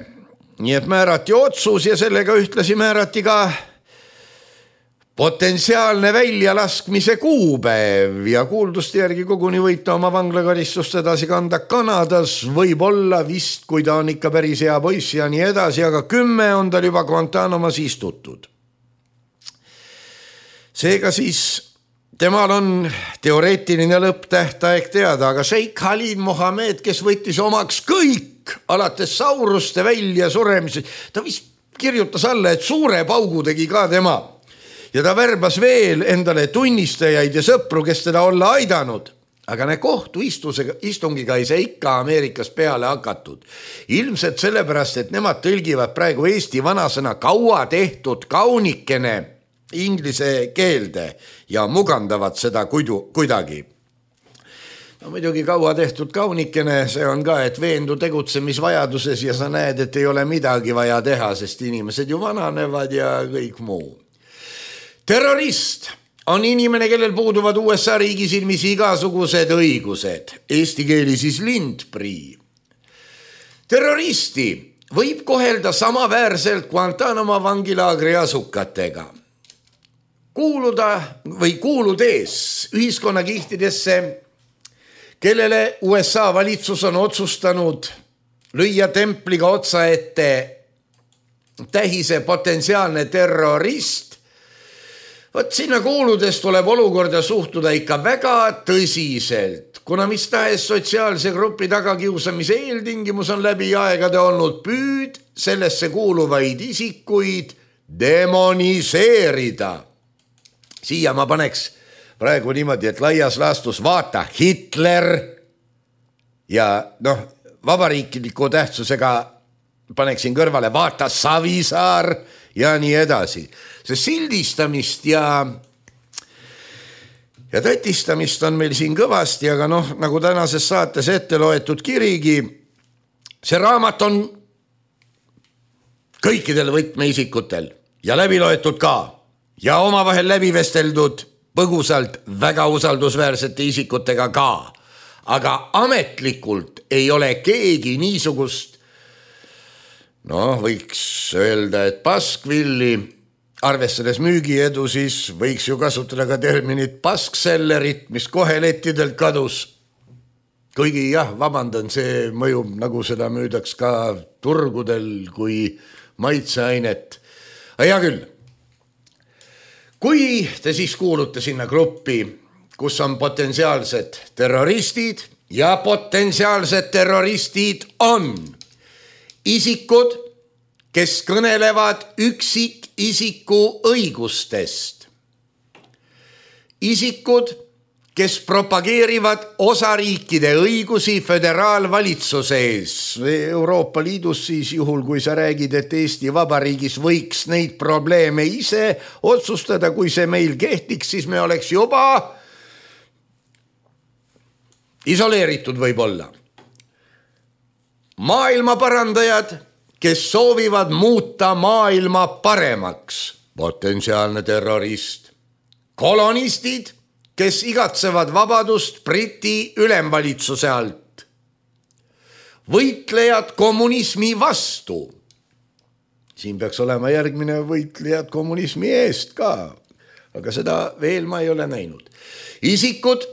Nii et määrati otsus ja sellega ühtlasi määrati ka potentsiaalne väljalaskmise kuupäev ja kuulduste järgi koguni võib ta oma vanglakaristust edasi kanda Kanadas, võib-olla vist, kui ta on ikka päris hea poiss ja nii edasi, aga kümme on tal juba Guantanamos istutud. Seega siis temal on teoreetiline lõpptähtaeg teada, aga Sheikh Khalid Mohammed, kes võttis omaks kõik alates sauruste välja suremise, ta vist kirjutas alla, et suure paugu tegi ka tema. Ja ta värbas veel endale tunnistajaid ja sõpru, kes teda olla aidanud. Aga ne kohtu istungiga ei see ikka Ameerikas peale hakatud. Ilmselt sellepärast, et nemad tõlgivad praegu Eesti vanasõna kaua tehtud kaunikene inglise keelde ja mugandavad seda kuidu, kuidagi. No muidugi kaua tehtud kaunikene, see on ka, et veendu tegutsemisvajaduses ja sa näed, et ei ole midagi vaja teha, sest inimesed ju vananevad ja kõik muu. Terrorist on inimene, kellel puuduvad U S A riigi silmis igasugused õigused. Eesti keeli siis lindprii. Terroristi võib kohelda samaväärselt Guantanamo vangilaagri asukatega. Kuuluda või kuuludes ühiskonnakihtidesse, kellele U S A valitsus on otsustanud lüüa templiga otsa ette tähise potentsiaalne terrorist, Vot sinna kuuludes tuleb olukorda suhtuda ikka väga tõsiselt, kuna mis tahes sotsiaalse grupi tagakiusamise eeltingimus on läbi aegade olnud püüd sellesse kuuluvaid isikuid demoniseerida. Siia ma paneks praegu niimoodi, et laias laastus vaata Hitler ja noh, vabariikliku tähtsusega paneksin kõrvale vaata Savisaar ja nii edasi. See sildistamist ja, ja tätistamist on meil siin kõvasti, aga noh, nagu tänases saates ette loetud kirigi, see raamat on kõikidel võtmeisikutel ja läbi loetud ka ja omavahel läbi vesteldud põgusalt väga usaldusväärsete isikutega ka. Aga ametlikult ei ole keegi niisugust, noh, võiks öelda, et paskvilli arvestades müügiedu, siis võiks ju kasutada ka terminit pasksellerit, mis kohe lettidelt kadus. Kuigi jah, vabandan, see mõjub nagu seda müüdaks ka turgudel kui maitseainet. Hea küll. Kui te siis kuulute sinna gruppi, kus on potentsiaalsed terroristid ja potentsiaalsed terroristid on isikud, kes kõnelevad üksikisiku õigustest. Isikud, kes propageerivad osariikide õigusi föderaalvalitsuse ees. Euroopa Liidus siis juhul, kui sa räägid, et Eesti Vabariigis võiks neid probleeme ise otsustada, kui see meil kehtiks, siis me oleks juba isoleeritud võib-olla. Maailma parandajad, kes soovivad muuta maailma paremaks, potentsiaalne terrorist. Kolonistid, kes igatsevad vabadust Briti ülemvalitsuse alt. Võitlejad kommunismi vastu. Siin peaks olema järgmine võitlejad kommunismi eest ka, aga seda veel ma ei ole näinud. Isikud,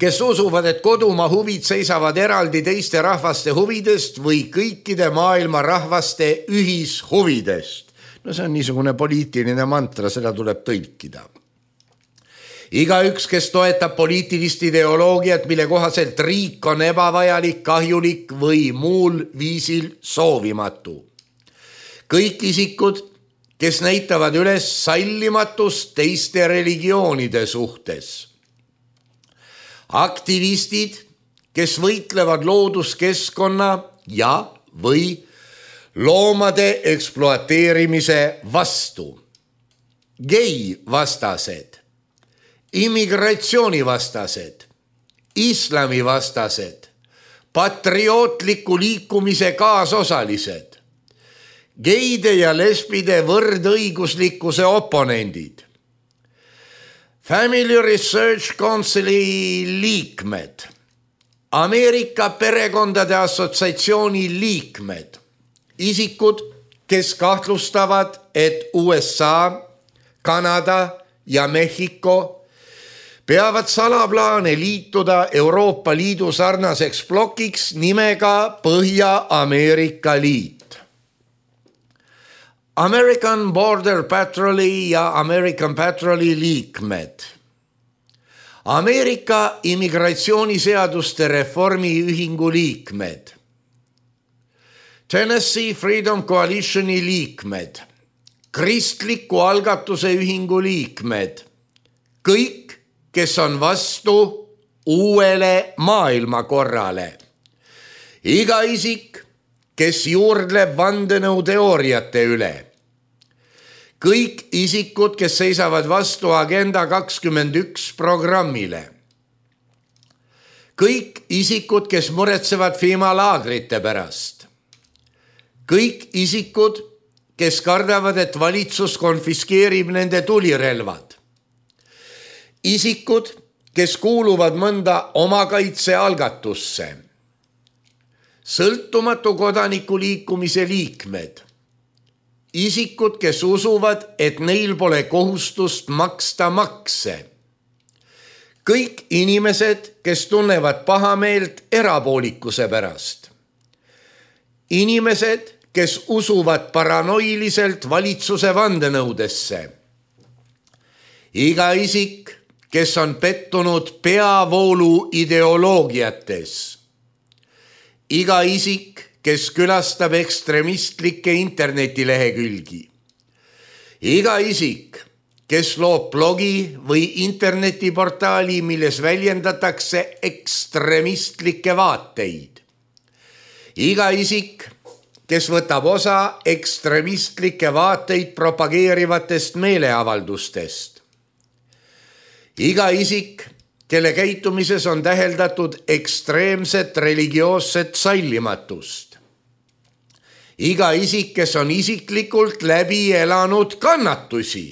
kes usuvad, et kodumaa huvid seisavad eraldi teiste rahvaste huvidest või kõikide maailma rahvaste ühishuvidest. No see on niisugune poliitiline mantra, seda tuleb tõlkida. Igaüks, kes toetab poliitilist ideoloogiat, mille kohaselt riik on ebavajalik, kahjulik või muul viisil soovimatu. Kõik isikud, kes näitavad üles sallimatust teiste religioonide suhtes. Aktivistid, kes võitlevad looduskeskkonna ja või loomade ekspluateerimise vastu. Gei vastased, immigratsioonivastased, islamivastased, patriootliku liikumise kaasosalised, geide ja lesbide võrdõiguslikkuse oponendid, Family Research Councili liikmed, Ameerika perekondade assotsiatsiooni liikmed, isikud, kes kahtlustavad, et U S A, Kanada ja Mehhiko peavad salaplaane liituda Euroopa Liidu sarnaseks blokiks nimega Põhja-Ameerika Liit. American Border Patroli ja American Patroli liikmed. Ameerika immigratsiooniseaduste reformi ühingu liikmed. Tennessee Freedom Coalitioni liikmed. Kristliku algatuse ühingu liikmed. Kõik, kes on vastu uuele maailmakorrale. Iga isik, kes juurdleb vandenõuteooriate üle. Kõik isikud, kes seisavad vastu Agenda kakskümmend üks programmile. Kõik isikud, kes muretsevad FEMA laagrite pärast. Kõik isikud, kes kardavad, et valitsus konfiskeerib nende tulirelvad. Isikud, kes kuuluvad mõnda omakaitse algatusse. Sõltumatu kodanikuliikumise liikmed. Isikud, kes usuvad, et neil pole kohustust maksta makse. Kõik inimesed, kes tunnevad pahameelt erapoolikuse pärast. Inimesed, kes usuvad paranoiliselt valitsuse vandenõudesse. Iga isik, kes on pettunud peavoolu ideoloogiates. Iga isik, kes külastab ekstremistlikke internetilehekülgi. Iga isik, kes loob blogi või internetiportaali, milles väljendatakse ekstremistlikke vaateid. Iga isik, kes võtab osa ekstremistlike vaateid propageerivatest meeleavaldustest. Iga isik, kelle käitumises on täheldatud ekstreemset religioosset sallimatust. Iga isik, kes on isiklikult läbi elanud kannatusi.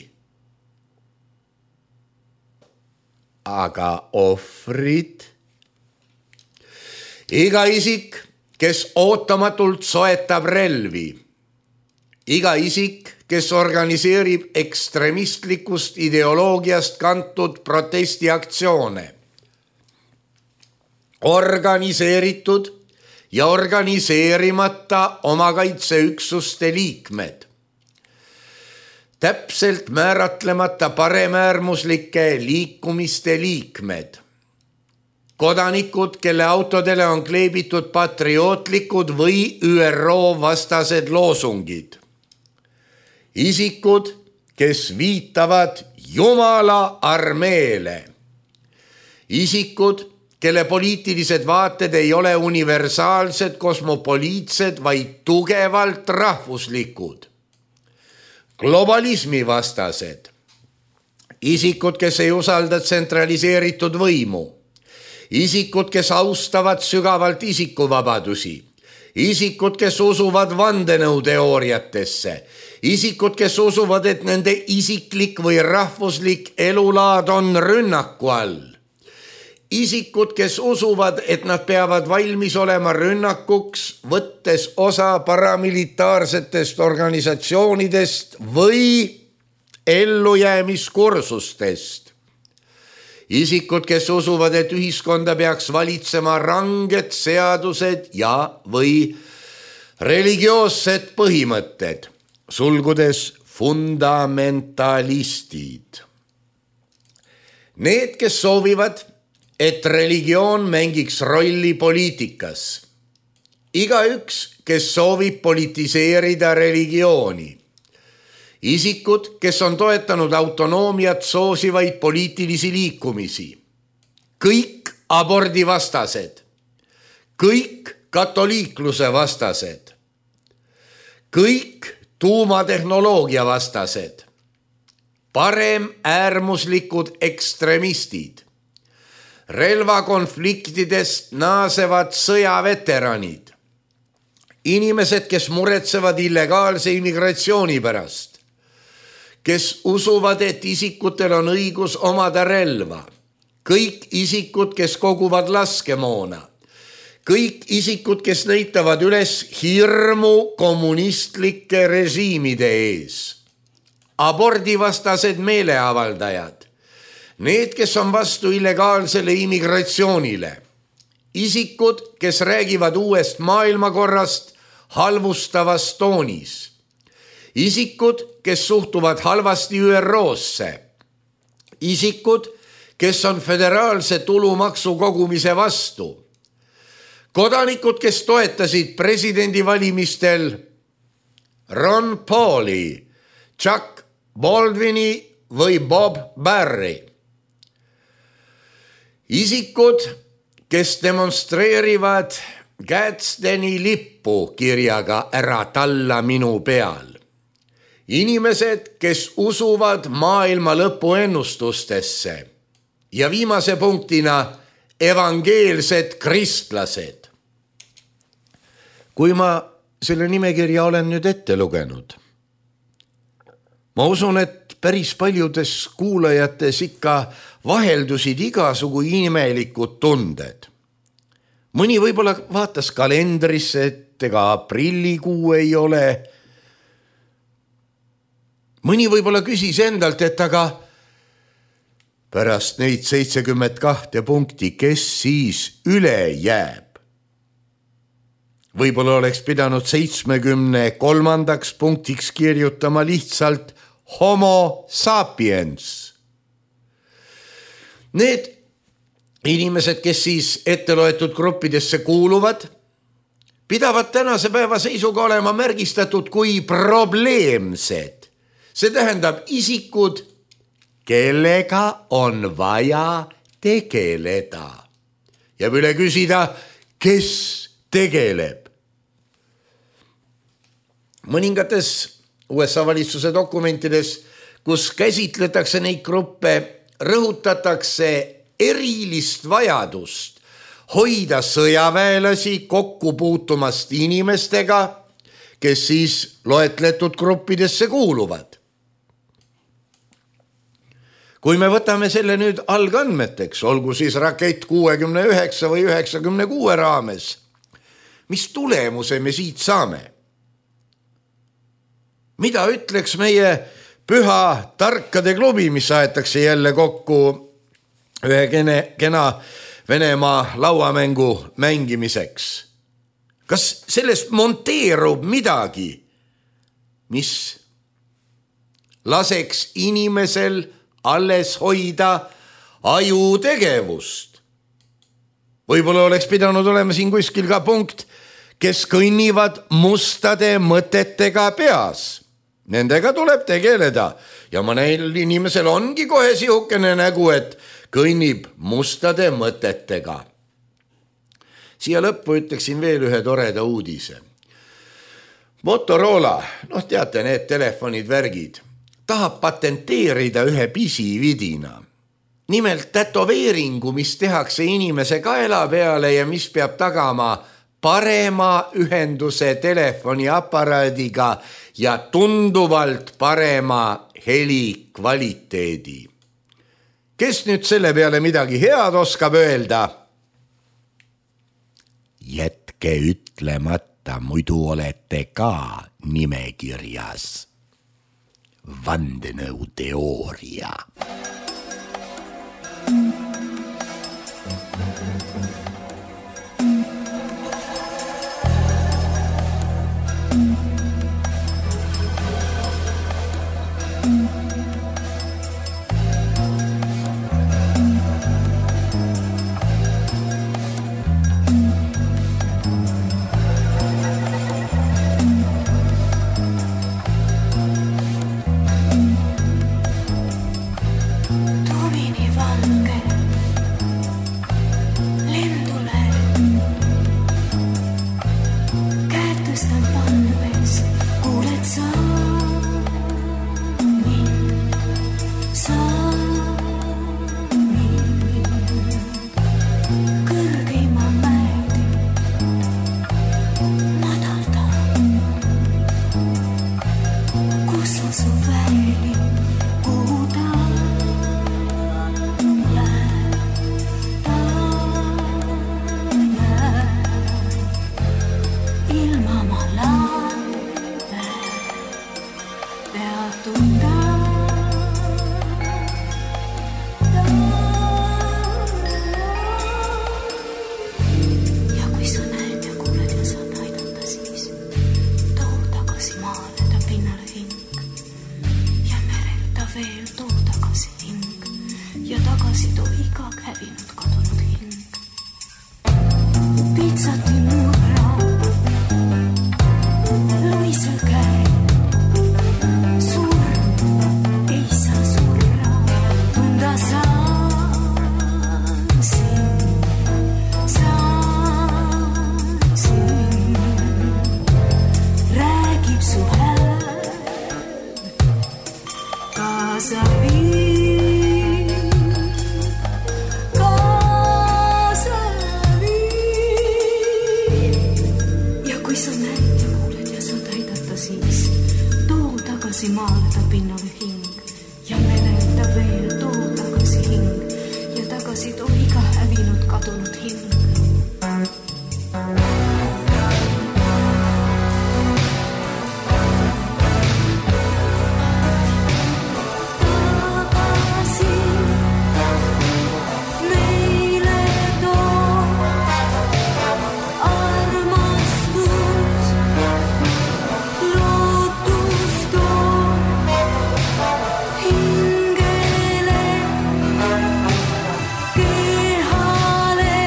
Aga ohvrid? Iga isik, kes ootamatult soetab relvi. iga isik, kes organiseerib ekstremistlikust ideoloogiast kantud protestiaktsioone. Organiseeritud ja organiseerimata omakaitseüksuste liikmed. Täpselt määratlemata paremäärmuslike liikumiste liikmed. Kodanikud, kelle autodele on kleebitud patriootlikud või Ü R O vastased loosungid. Isikud, kes viitavad Jumala armeele. Isikud, kelle poliitilised vaated ei ole universaalsed, kosmopoliitsed, vaid tugevalt rahvuslikud. Globalismi vastased. Isikud, kes ei usalda tsentraliseeritud võimu. Isikud, kes austavad sügavalt isikuvabadusi. Isikud, kes usuvad vandenõuteooriatesse. Isikud, kes usuvad, et nende isiklik või rahvuslik elulaad on rünnaku all. Isikud, kes usuvad, et nad peavad valmis olema rünnakuks, võttes osa paramilitaarsetest organisatsioonidest või ellujäämiskursustest. Isikud, kes usuvad, et ühiskonda peaks valitsema ranged seadused ja või religioossed põhimõtted, sulgudes fundamentalistid. Need, kes soovivad, et religioon mängiks rolli poliitikas. Igaüks, kes soovib politiseerida religiooni. Isikud, kes on toetanud autonoomiat soosivaid poliitilisi liikumisi. Kõik abordivastased. Kõik katoliikluse vastased. Kõik tuumatehnoloogia vastased. Parem äärmuslikud ekstremistid. Relvakonfliktidest naasevad sõjaveteranid. Inimesed, kes muretsevad illegaalse immigratsiooni pärast. Kes usuvad, et isikutel on õigus omada relva. Kõik isikud, kes koguvad laskemoona. Kõik isikud, kes näitavad üles hirmu kommunistlike režiimide ees. Abordivastased meeleavaldajad. Need, kes on vastu illegaalsele immigratsioonile. Isikud, kes räägivad uuest maailmakorrast halvustavas toonis. Isikud, kes suhtuvad halvasti Ü R O-sse. Isikud, kes on föderaalse tulumaksu kogumise vastu. Kodanikud, kes toetasid presidendivalimistel Ron Pauli, Chuck Baldwini või Bob Barry. Isikud, kes demonstreerivad Gadsdeni lippu kirjaga ära talla minu peal. Inimesed, kes usuvad maailma lõpu ennustustesse. Ja viimase punktina evangeelsed kristlased. Kui ma selle nimekirja olen nüüd ette lugenud, ma usun, et päris paljudes kuulajates ikka vaheldusid igasugu imelikud tunded. Mõni võib-olla vaatas kalendrisse, et ega aprillikuu ei ole. Mõni võib-olla küsis endalt, et aga pärast neid seitsekümmend kahte punkti, kes siis üle jääb? Võib-olla oleks pidanud seitsmekümne kolmandaks punktiks kirjutama lihtsalt homo sapiens. Need inimesed, kes siis etteloetud gruppidesse kuuluvad, pidavad tänase päeva seisuga olema märgistatud kui probleemsed. See tähendab isikud, kellega on vaja tegeleda. Ja üle küsida, kes tegeleb. Mõningates U S A valitsuse dokumentides, kus käsitletakse neid gruppe, rõhutatakse erilist vajadust hoida sõjaväelasi kokku puutumast inimestega, kes siis loetletud gruppidesse kuuluvad. Kui me võtame selle nüüd algandmeteks, olgu siis rakett kuuekümne üheksa või üheksakümne kuue raames, mis tulemuse me siit saame? mida ütleks meie püha tarkade klubi, mis aetakse jälle kokku ühe kene, kena Venemaa lauamängu mängimiseks? Kas sellest monteerub midagi, mis laseks inimesel alles hoida ajutegevust? Võib-olla oleks pidanud olema siin kuskil ka punkt, kes kõnnivad mustade mõtetega peas. Nendega tuleb tegeleda ja mõnel inimesel ongi kohe sihukene nägu, et kõnnib mustade mõtetega. Siia lõppu ütleksin veel ühe toreda uudise. Motorola, noh teate, need telefonid, värgid, tahab patenteerida ühe pisividina. Nimelt tätoveeringu, mis tehakse inimese kaela peale ja mis peab tagama parema ühenduse telefoniaparaadiga ja tunduvalt parema heli kvaliteedi. Kes nüüd selle peale midagi head oskab öelda? Jätke ütlemata, muidu olete ka nimekirjas. Vandenõuteooria. Kehale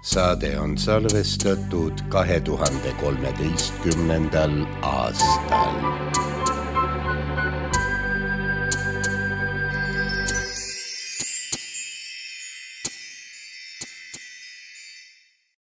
saade on salvestatud kahe tuhande kolmeteistkümnendal aastal.